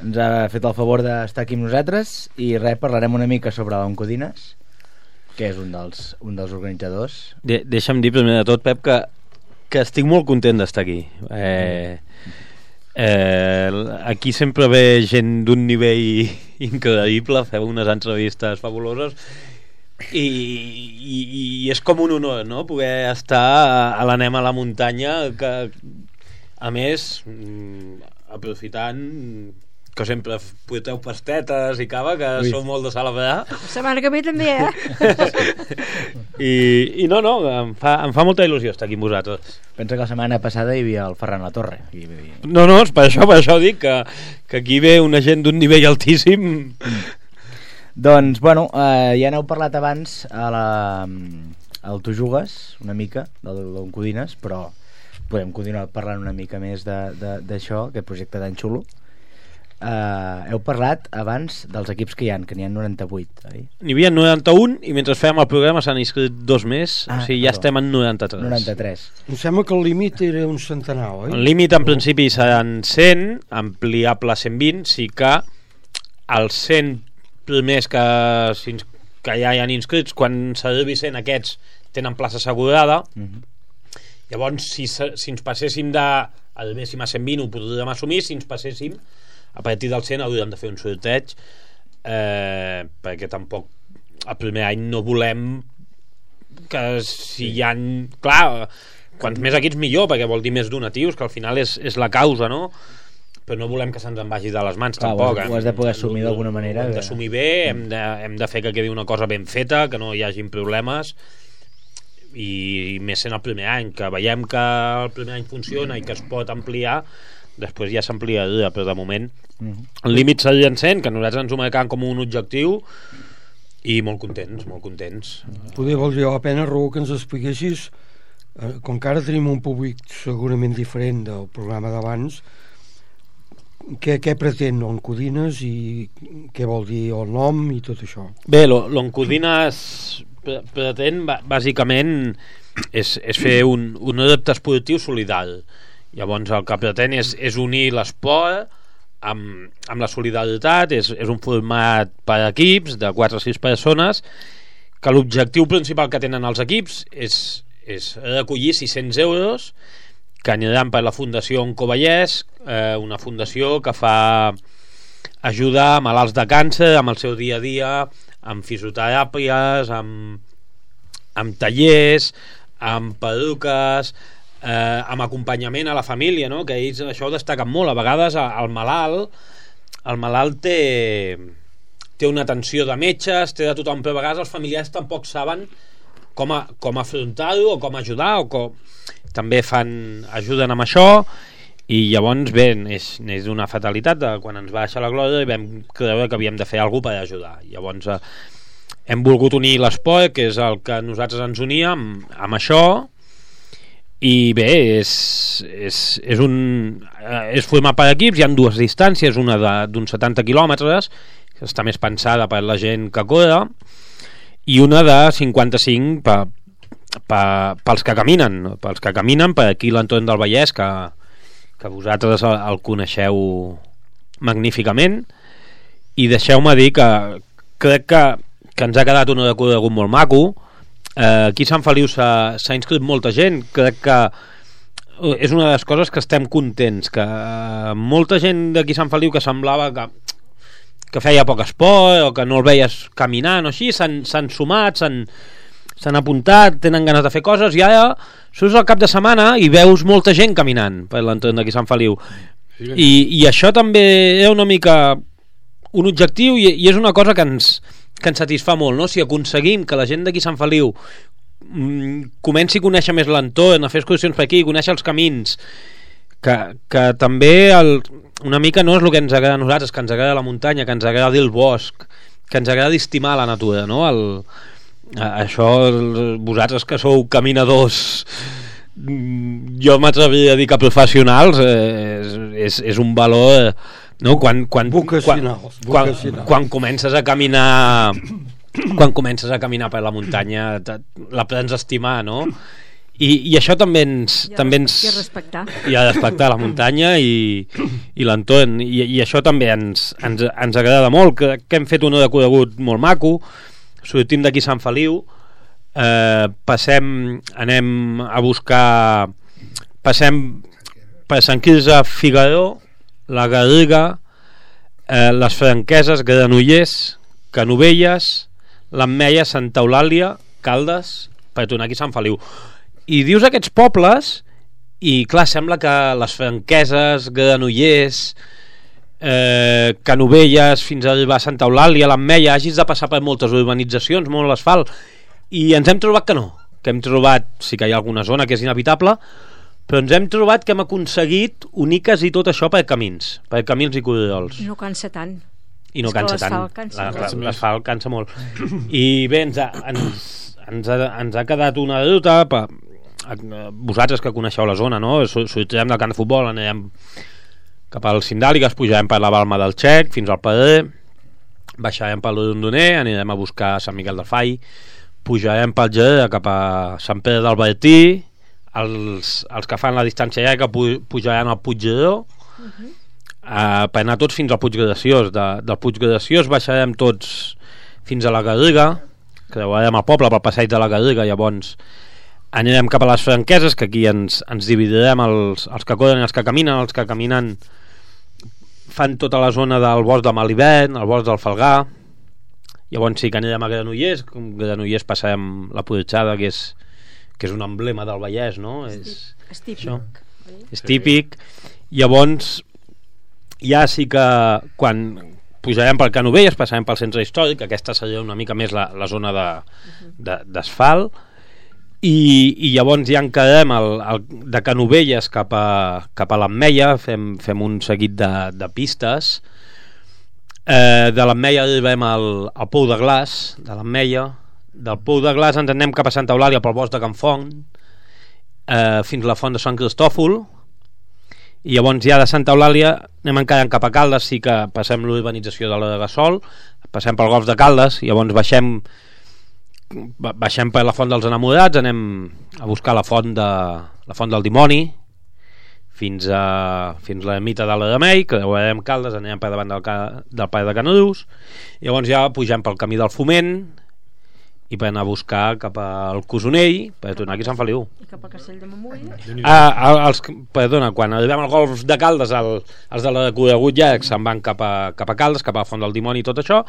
Ens ha fet el favor d'estar aquí amb nosaltres i res, parlarem una mica sobre l'Oncodines, que és un dels, un dels organitzadors. De Deixa'm dir primer de tot, Pep, que, que estic molt content d'estar aquí. Eh... Eh, aquí sempre ve gent d'un nivell increïble, feu unes entrevistes fabuloses i, i, i és com un honor, no?, poder estar a l'Anem a la muntanya, que a més aprofitant que sempre porteu pastetes i cava, que Ui. Sou molt de celebrar. La setmana que ve també, eh? I, i no, no, em fa, em fa molta il·lusió estar aquí amb vosaltres. Pensa que la setmana passada hi havia el Ferran Latorre. I... No, no, és per això, per això dic que, que aquí ve una gent d'un nivell altíssim. Doncs, bueno, eh, ja n'heu parlat abans a la, al Tu Jugues, una mica, del d'Oncodines, però podem continuar parlant una mica més d'això, aquest projecte tan xulo. Uh, heu parlat abans dels equips que hi ha, que n'hi ha noranta-vuit, oi? N'hi havia noranta-un i mentre fèiem el programa s'han inscrit dos més, ah, o sigui, ja estem en noranta-tres. noranta-tres. Em sembla que el límit era un centenar, oi? El límit en principi seran cent, ampliable a cent vint, sí que els cent primers que, que ja hi han inscrits, quan s'arribi cent aquests tenen plaça assegurada. Uh-huh. Llavors, si, si ens passéssim de arribéssim a cent vint ho podríem assumir, si ens passéssim a partir del cent hauríem de fer un sorteig, eh, perquè tampoc el primer any no volem que si hi ha... Clar, quants més equips millor, perquè vol dir més donatius, que al final és, és la causa, no? Però no volem que se'ns en vagi de les mans, clar, tampoc. Ho has de poder assumir d'alguna manera. Ho hem d'assumir bé, hem de, hem de fer que quedi una cosa ben feta, que no hi hagin problemes, i més sent el primer any, que veiem que el primer any funciona i que es pot ampliar, després ja s'ampliaria, però de moment el límit seria en cent, que nosaltres ens ho marcam com un objectiu, i molt contents, molt contents. Poder valdria la pena, Raül, que ens expliquessis, eh, com que ara tenim un públic segurament diferent del programa d'abans, què, què pretén l'Oncodines i què vol dir el nom i tot això? Bé, l'Oncodines pretén bàsicament és, és fer un, un adepte esportiu solidari. Llavors el que pretén és, és unir l'esport amb, amb la solidaritat, és, és un format per equips de quatre o sis persones, que l'objectiu principal que tenen els equips és, és recollir sis-cents euros que aniran per la Fundació Oncovallès, eh, una fundació que fa ajuda a malalts de càncer amb el seu dia a dia, amb fisioteràpies, amb, amb tallers, amb perruques, eh, amb acompanyament a la família, no? Que ells això ho destaquen molt. A vegades el malalt el malalt té té una atenció de metges, té de tothom, però a vegades els familiars tampoc saben com, a, com afrontar-ho o com ajudar, o com... també fan, ajuden amb això, i llavors bé, és, és una fatalitat de quan ens va deixar la glòria i vam creure que havíem de fer alguna cosa per ajudar. Llavors eh, hem volgut unir l'esport, que és el que nosaltres ens unia amb, amb això, i bé, és, és, és un és formar per equips. Hi ha dues distàncies, una d'uns setanta quilòmetres, que està més pensada per la gent que corre, i una de cinquanta-cinc per, per, pels que caminen pels que caminen per aquí l'entorn del Vallès, que, que vosaltres el, el coneixeu magníficament. I deixeu-me dir que crec que, que ens ha quedat un recorregut molt maco. Eh, aquí a Sant Feliu s'ha inscrit molta gent. Crec que és una de les coses que estem contents, que eh, molta gent d'aquí a Sant Feliu que semblava que, que feia poc esport o que no el veies caminant o així, s'han sumat, s'han apuntat, tenen ganes de fer coses, i ara surts al cap de setmana i veus molta gent caminant per l'entorn d'aquí a Sant Feliu. I, i això també és una mica un objectiu, i, i és una cosa que ens que ens satisfà molt, no? Si aconseguim que la gent d'aquí a Sant Feliu mm, comenci a conèixer més l'entorn, a fer excursions per aquí, conèixer els camins, que, que també el, una mica no és el que ens agrada a nosaltres, que ens agrada la muntanya, que ens agrada el bosc, que ens agrada estimar la natura, no? El, això, vosaltres que sou caminadors, jo m'atreviria a dir que professionals, eh, és, és, és un valor, no? Quan, quan, quan, quan, quan comences a caminar quan comences a caminar per la muntanya la prens a estimar, no? I, i això també ens... I a, també ens, i a respectar. I a respectar la muntanya i, i l'entorn. I, I això també ens, ens, ens agrada molt, que, que hem fet un recorregut molt maco, sortim d'aquí Sant Feliu, eh, passem, anem a buscar... Passem per Sant Quirze, Figaró, la Garriga, eh, les Franqueses, Granollers, Canovelles, l'Ametlla, Santa Eulàlia, Caldes, per tornar aquí a Sant Feliu. I dius aquests pobles i clar, sembla que les Franqueses, Granollers, eh, Canovelles, fins a arribar a Santa Eulàlia, l'Ametlla, hagis de passar per moltes urbanitzacions, molt asfalt, i ens hem trobat que no, que hem trobat, sí que hi ha alguna zona que és inhabitable, però ens hem trobat que hem aconseguit unir quasi tot això per camins, per camins i corriols. No cansa tant. I no cansa tant. L'asfalt cansa molt. I bé, ens ha, ens, ens ha, ens ha quedat una ruta per, vosaltres que coneixeu la zona, no? Sortirem del camp de futbol, anirem cap al Cindàligues, pujarem per la Balma del Xec fins al Pedrer, baixarem pel Rondoner, anirem a buscar Sant Miquel del Fai, pujarem pel Gereda cap a Sant Pere del Bertí, els, els que fan la distància llarga pujaran al Puiggeró, uh-huh. uh, per anar tots fins al Puig Graciós. De, del Puig Graciós baixarem tots fins a la Garriga, creuarem el poble pel passeig de la Garriga, llavors anirem cap a les Franqueses, que aquí ens, ens dividirem els, els que corren i els que caminen. Els que caminen fan tota la zona del bosc de Malibert, el bosc del Falgà, llavors sí que anirem a Granollers. Granollers passarem la Porxada, que és, que és un emblema del Vallès, no? És, és típic això, és típic. Llavors ja sí que quan pujarem pel Canovelles passarem pel centre històric, aquesta seria una mica més la, la zona de, de, d'asfalt. I, i llavors ja encarem el, el, de Canovelles cap a, cap a l'Ametlla, fem, fem un seguit de, de pistes, eh, de l'Ametlla arribem al, al Pou de Glaç, de l'Ametlla, del Pou de Glaç ens anem cap a Santa Eulàlia pel bosc de Can Font, eh, fins a la font de Sant Cristòfol, i llavors ja de Santa Eulàlia anem encarant cap a Caldes, sí que passem l'urbanització de la de Gassol, passem pel golf de Caldes, i llavors baixem baixem per la font dels Enamorats, anem a buscar la font de la font del Dimoni fins a fins a l'ermita de la Remei, que veurem Caldes, anem per davant del, del Pare de Canadús, i llavors ja pugem pel camí del Foment i per anar a buscar cap al Cosonell per tornar aquí a Sant Feliu. I cap a Castell de Montbui. Ah, els, perdona, quan arribem al golf de Caldes, el, els de la recorregut llarg se'n van cap a, cap a Caldes, cap a la Font del Dimoni i tot això,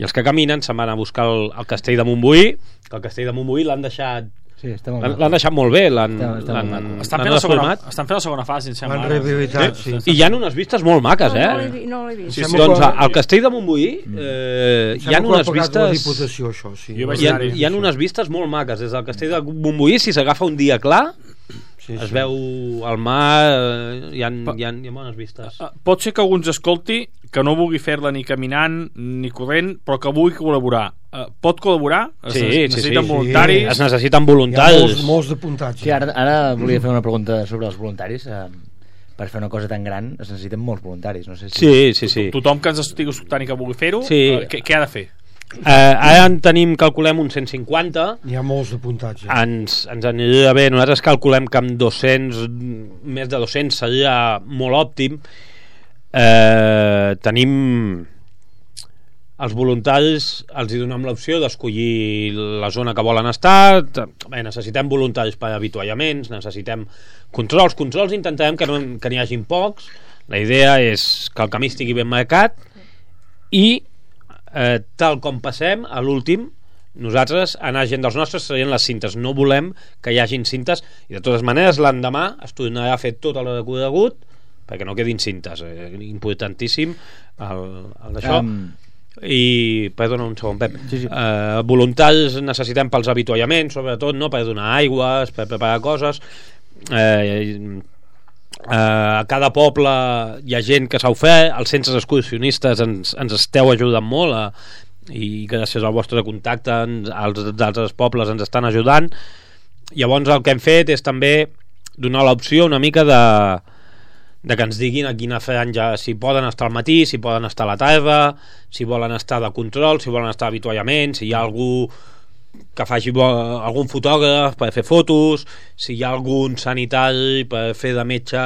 i els que caminen se'n van a buscar el, el Castell de Montbui, que el Castell de Montbui l'han deixat Sí, l'han deixat molt bé, l'han estan fent la segona, estan fent la segona fase, em sembla. L'han rehabilitat, sí. I hi ha unes vistes molt maques, eh? No, no l'he vist. Sí, sí, doncs al Castell de Montbui eh, hi ha unes vistes Diputació, això, sí. hi ha, hi ha unes vistes molt maques des del Castell de Montbui. Si s'agafa un dia clar sí, es sí. veu el mar, hi ha, hi ha, hi ha bones vistes. Pot ser que algú ens escolti que no vulgui fer-la ni caminant ni corrent, però que vulgui col·laborar. Uh, pot col·laborar? Es sí, necessiten sí, sí. voluntaris? Es necessiten voluntaris. Hi ha molts, molts d'apuntats. Sí, ara, ara volia fer una pregunta sobre els voluntaris. Uh, per fer una cosa tan gran es necessiten molts voluntaris. No sé si... Sí, sí, sí. Tothom que ens estigui escoltant i que vulgui fer-ho, sí. uh, què, què ha de fer? Uh, ara en tenim, calculem, uns cent cinquanta. Hi ha molts apuntats. Ja. Ens, ens aniria bé. Nosaltres calculem que amb dos-cents, més de dos-cents seria molt òptim. Eh, tenim els voluntaris, els hi donem l'opció d'escollir la zona que volen estar. Bé, necessitem voluntaris per avituallaments, necessitem controls controls intentarem que, no, que n'hi hagin pocs. La idea és que el camí estigui ben marcat i eh, tal com passem a l'últim nosaltres anar gent dels nostres serien les cintes, no volem que hi hagin cintes i de totes maneres l'endemà es tornarà a fer tot el recorregut perquè no quedin cintes, eh, importantíssim el, el d'això um... i, perdona un segon Pep sí, sí. Eh, voluntaris necessitem pels avituallaments sobretot, no? Per donar aigües per preparar coses eh, Uh, a cada poble hi ha gent que s'ha ofert, els centres excursionistes ens, ens esteu ajudant molt a, i gràcies al vostre contacte ens, els d'altres pobles ens estan ajudant. Llavors el que hem fet és també donar l'opció una mica de, de que ens diguin a quina franja, si poden estar al matí, si poden estar a la tarda, si volen estar de control, si volen estar d'avituallament, si hi ha algú que faci algun fotògraf per fer fotos, si hi ha algun sanitari per fer de metge,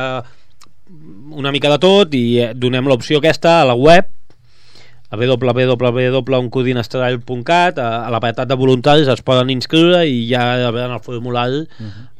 una mica de tot, i donem l'opció aquesta a la web a w w w punt uncudinastrall punt cat. A l'apartat de voluntaris es poden inscriure i ja rebran el formulari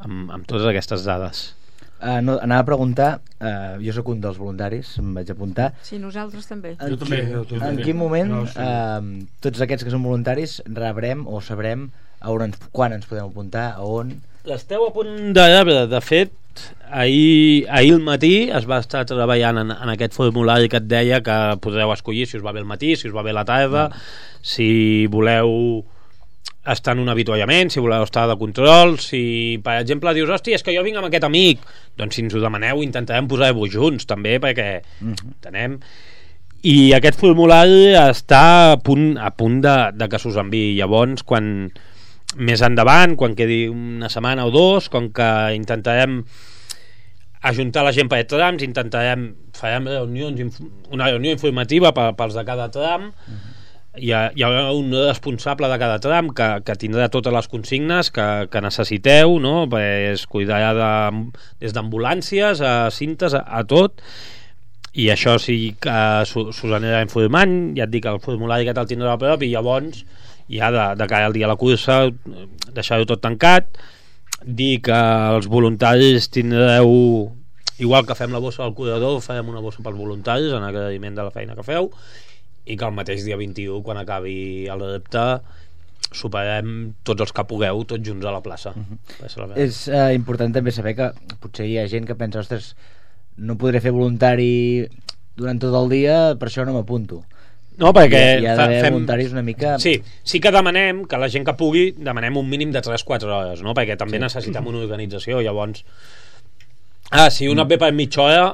amb, amb totes aquestes dades. Uh, no, anava a preguntar, uh, jo sóc un dels voluntaris, em vaig apuntar. Sí, nosaltres també. En, Jo també, jo també. En quin moment No, sí. uh, tots aquests que són voluntaris rebrem o sabrem a on ens, quan ens podem apuntar, a on... L'esteu a punt de rebre. De fet, ahir, ahir al matí es va estar treballant en, en aquest formulari que et deia que podreu escollir si us va bé el matí, si us va bé la tarda, no. Si voleu estar en un avituallament, si voleu estar de control, si per exemple dius, hòstia, és que jo vinc amb aquest amic, doncs si ens ho demaneu intentarem posar-vos junts també, perquè mm-hmm. entenem. I aquest formulari està a punt, a punt de, de que s'us enviï. Llavors, quan més endavant, quan quedi una setmana o dos, com que intentarem ajuntar la gent per trams, intentarem farem reunions, una reunió informativa pels de cada tram. Mm-hmm. Hi, ha, hi haurà un responsable de cada tram que, que tindrà totes les consignes que, que necessiteu, no? Es cuidarà de, des d'ambulàncies a cintes, a, a tot, i això sí que s'us anirà informant. Ja et dic, el formulari que te'l tindrà a prop, i llavors ja de, de cara al dia de la cursa deixar-ho tot tancat, dir que els voluntaris tindreu, igual que fem la bossa del corredor, farem una bossa pels voluntaris en agraïment de la feina que feu, i que el mateix dia vint-i-u, quan acabi el repte, superem tots els que pugueu tots junts a la plaça. Uh-huh. És uh, important també saber que potser hi ha gent que pensa, ostres, no podré fer voluntari durant tot el dia, per això no m'apunto. No, perquè hi ha, hi ha d'haver fem... voluntaris una mica... Sí, sí que demanem que la gent que pugui, demanem un mínim de tres a quatre hores, no? Perquè també sí. necessitem una organització. Llavors, ah, si una ve per mitja hora,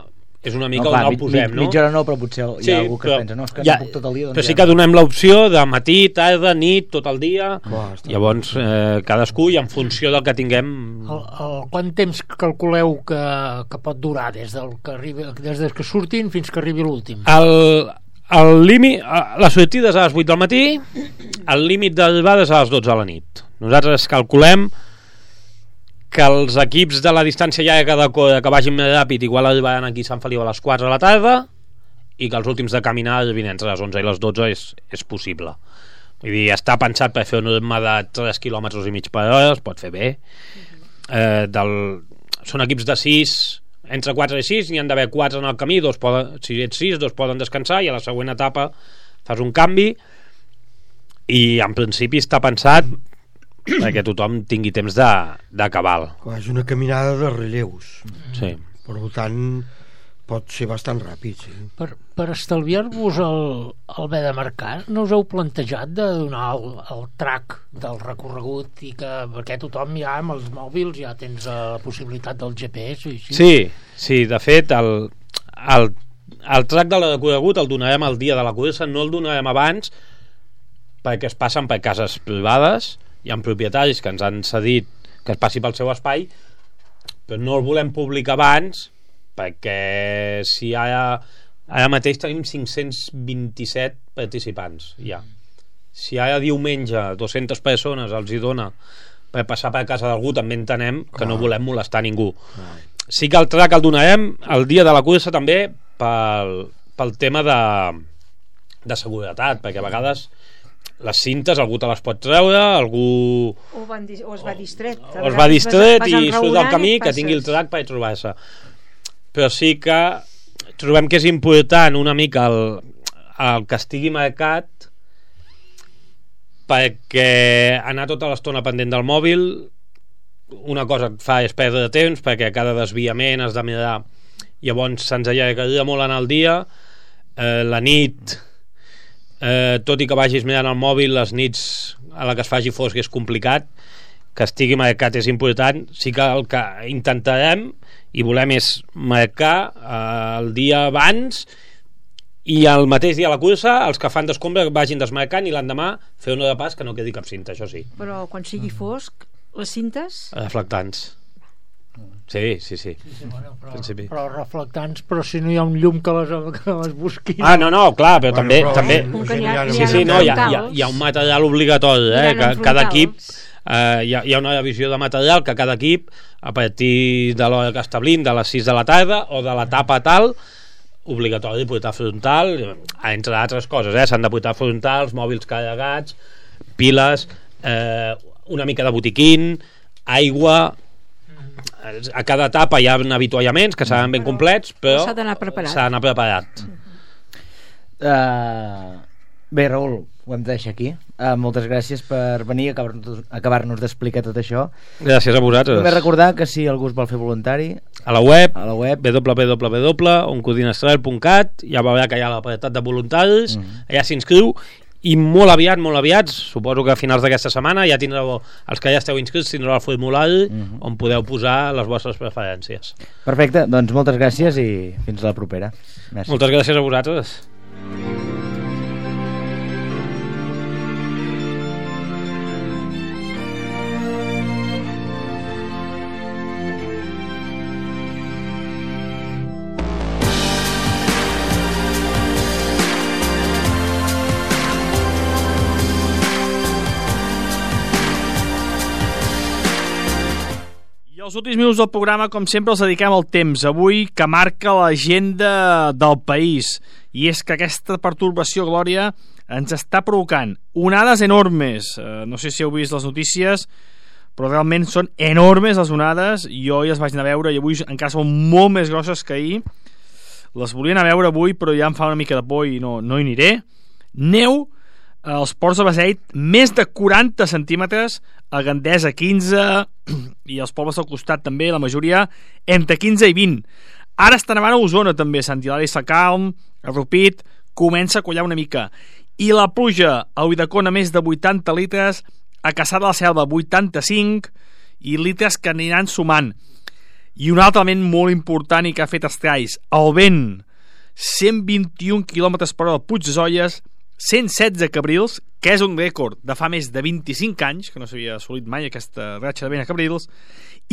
és una mica no, clar, on el posem, mi, no? Mitja hora no, però potser hi ha sí, algú que però, pensa no, és que ja, no puc tot el dia. Doncs però sí que donem l'opció de matí, tarda, nit, tot el dia. Bah, llavors eh, cadascú, i en funció del que tinguem... El, el, quant temps calculeu que, que pot durar des, del que arribi, des del que surtin fins que arribi l'últim? El, el límit, la sortida és a les vuit del matí, el límit d'arribada és a les dotze de la nit. Nosaltres calculem que els equips de la distància llarga de córrer que vagin més ràpid igual arribaran aquí a Sant Feliu a les quatre de la tarda, i que els últims de caminar arribin entre les onze i les dotze és, és possible. Vull dir, està pensat per fer un ritme de tres quilòmetres i mig per hora, es pot fer bé. Eh, del... Són equips de sis, entre quatre i sis, n'hi han d'haver quatre en el camí, dos poden, si ets sis, dos poden descansar, i a la següent etapa fas un canvi, i en principi està pensat perquè tothom tingui temps de, de cabal. És una caminada de relleus. Sí. Per tant, pot ser bastant ràpid. Sí. Per, per estalviar-vos el, el haver de marcar, no us heu plantejat de donar el, el track del recorregut, i que perquè tothom ja amb els mòbils ja tens la possibilitat del G P S? I així? Sí, sí, de fet, el, el, el track del recorregut el donarem el dia de la cursa, no el donarem abans, perquè es passen per cases privades. Hi ha propietaris que ens han cedit que es passi pel seu espai, però no el volem publicar abans, perquè si ara, ara mateix tenim cinc-cents vint-i-set participants ja. Si ara diumenge dues-centes persones els hi dona per passar per casa d'algú, també entenem que no volem molestar ningú. Sí que el track el donarem el dia de la cursa també pel, pel tema de, de seguretat, perquè a vegades les cintes algú te les pot treure, algú o, van, o es va distret o es va distret i surt del camí, que tingui el track per trobar-se. Però sí que trobem que és important una mica el, el que estigui marcat, perquè anar tota l'estona pendent del mòbil una cosa et fa és perdre temps, perquè a cada desviament has de mirar, llavors se'ns allargaria molt en el dia. eh, la nit Eh, tot i que vagis mirant el mòbil, les nits a la que es faci fosc és complicat, que estigui marcat és important. Sí que el que intentarem, i volem és marcar eh, el dia abans i el mateix dia a la cursa els que fan d'escombra vagin desmarcant i l'endemà fer una de pas que no quedi cap cinta, això sí. Però quan sigui fosc, les cintes... Reflectants. Sí, sí, sí. sí, sí bueno, però, principi. però reflectants, però si no hi ha un llum que les, que les busqui... Ah, no, no, clar, però bueno, també... però, també... Ha, sí, sí, no, hi ha, hi, ha, hi ha un material obligatori, eh, que cada equip... Eh, hi, ha, hi ha una divisió de material que cada equip, a partir de l'hora que establim, de les sis de la tarda, o de l'etapa tal, obligatori portar frontal, entre altres coses, eh? S'han de portar frontals, mòbils carregats, piles, eh, una mica de botiquín, aigua... A cada etapa hi ha avituallaments que seran ben complets, però s'ha d'anar preparat. S'ha d'anar preparat. Uh, bé, Raül, ho hem de deixar aquí. Uh, moltes gràcies per venir a acabar-nos acabar d'explicar tot això. Gràcies a vosaltres. Només recordar que si algú es vol fer voluntari, a la web, a la web w w w punt oncodinastral punt cat, ja veurà que hi ha l'apartat de voluntaris, mm. allà s'inscriu, i molt aviat, molt aviat, suposo que a finals d'aquesta setmana ja tindreu, els que ja esteu inscrits tindreu el formulari mm-hmm. on podeu posar les vostres preferències. Perfecte, doncs moltes gràcies i fins a la propera. Merci. Moltes gràcies a vosaltres. Els últims minuts del programa, com sempre, els dediquem al temps. Avui, que marca l'agenda del país. I és que aquesta pertorbació, Glòria, ens està provocant onades enormes. Eh, no sé si heu vist les notícies, però realment són enormes les onades. Jo ja les vaig anar a veure i avui encara són molt més grosses que ahir. Les volia anar a veure avui, però ja em fa una mica de por i no, no hi aniré. Neu als ports de Beseit, més de quaranta centímetres, a Gandesa quinze, i els pobles del costat també, la majoria, entre quinze i vint. Ara està nevant a Osona també, Sant Hilari Sacalm, a Rupit, comença a collar una mica. I la pluja a Ulldecona, més de vuitanta litres, a Caçà de la Selva, vuitanta-cinc, i litres que aniran sumant. I un altre element molt important i que ha fet estralls, el vent, cent vint-i-un quilòmetres per hora al Puig de Zolles, cent setze cabrils, que és un rècord de fa més de vint-i-cinc anys, que no s'havia assolit mai aquesta ratxa de vent a cabrils,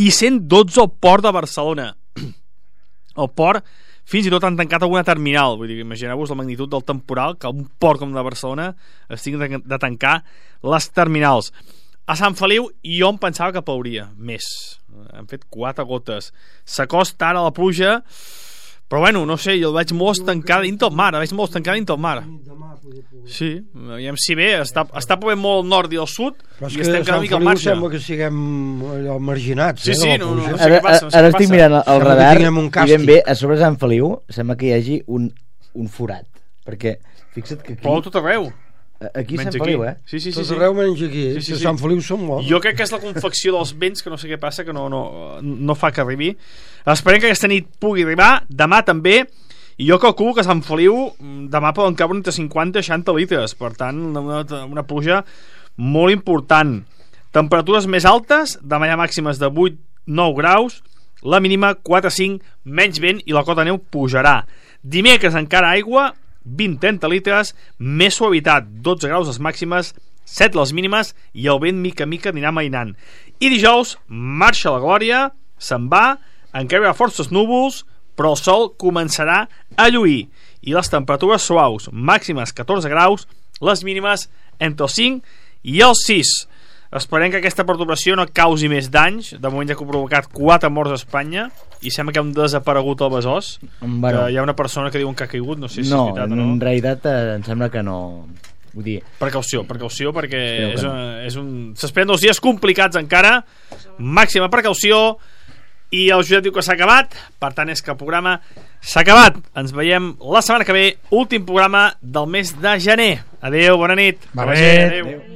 i cent dotze al port de Barcelona. El port, fins i tot han tancat alguna terminal, vull dir, imagineu-vos la magnitud del temporal, que un port com de Barcelona es tingui de tancar les terminals. A Sant Feliu jo em pensava que plouria més, han fet quatre gotes, s'acosta ara la pluja, però bueno, no sé, jo el veig molt estancada dins del mar, el veig molt estancada dins del mar. Sí, aviam si bé, està, està plovent molt al nord i al sud, però és i que estem cada mica al marge. Sembla que siguem allò marginats. Sí, eh, sí, no, no, no, no sé ara, què passa, no sé ara estic passa. mirant el sembla radar i ben bé, a sobre Sant Feliu sembla que hi hagi un, un forat, perquè fixa't que aquí... Plou tot arreu. Aquí a Sant Feliu, eh? Sí, sí, sí, tot sí. arreu menys aquí, sí, sí, que sí. Sant Feliu som molt. Jo crec que és la confecció dels vents, que no sé què passa, que no, no, no fa que arribi. Esperem que aquesta nit pugui arribar, demà també, i jo calculo que a Sant Feliu demà poden caure entre cinquanta i seixanta litres, per tant una, una pluja molt important. Temperatures més altes, demà hi ha màximes de vuit a nou graus, la mínima quatre a cinc, menys vent i la cota de neu pujarà. Dimecres encara aigua, vint a trenta litres, més suavitat, dotze graus les màximes, set les mínimes i el vent mica mica anirà mainant. I dijous marxa la glòria, se'n va, encara hi ha forces núvols, però el sol començarà a lluir i les temperatures suaus, màximes catorze graus, les mínimes entre els cinc i els sis. Esperem que aquesta perturbació no causi més danys. De moment ja que ha provocat quatre morts a Espanya i sembla que ha un desaparegut al Besòs, bueno, que hi ha una persona que diuen que ha caigut, no sé si no, és veritat o no. En realitat eh, em sembla que no. Vull dir... Precaució, precaució perquè és, no. un, és un... s'esperen dos dies complicats encara, màxima precaució. I el Josep diu que s'ha acabat, per tant és que el programa s'ha acabat. Ens veiem la setmana que ve, últim programa del mes de gener. Adéu, bona nit. Bona nit. Adéu.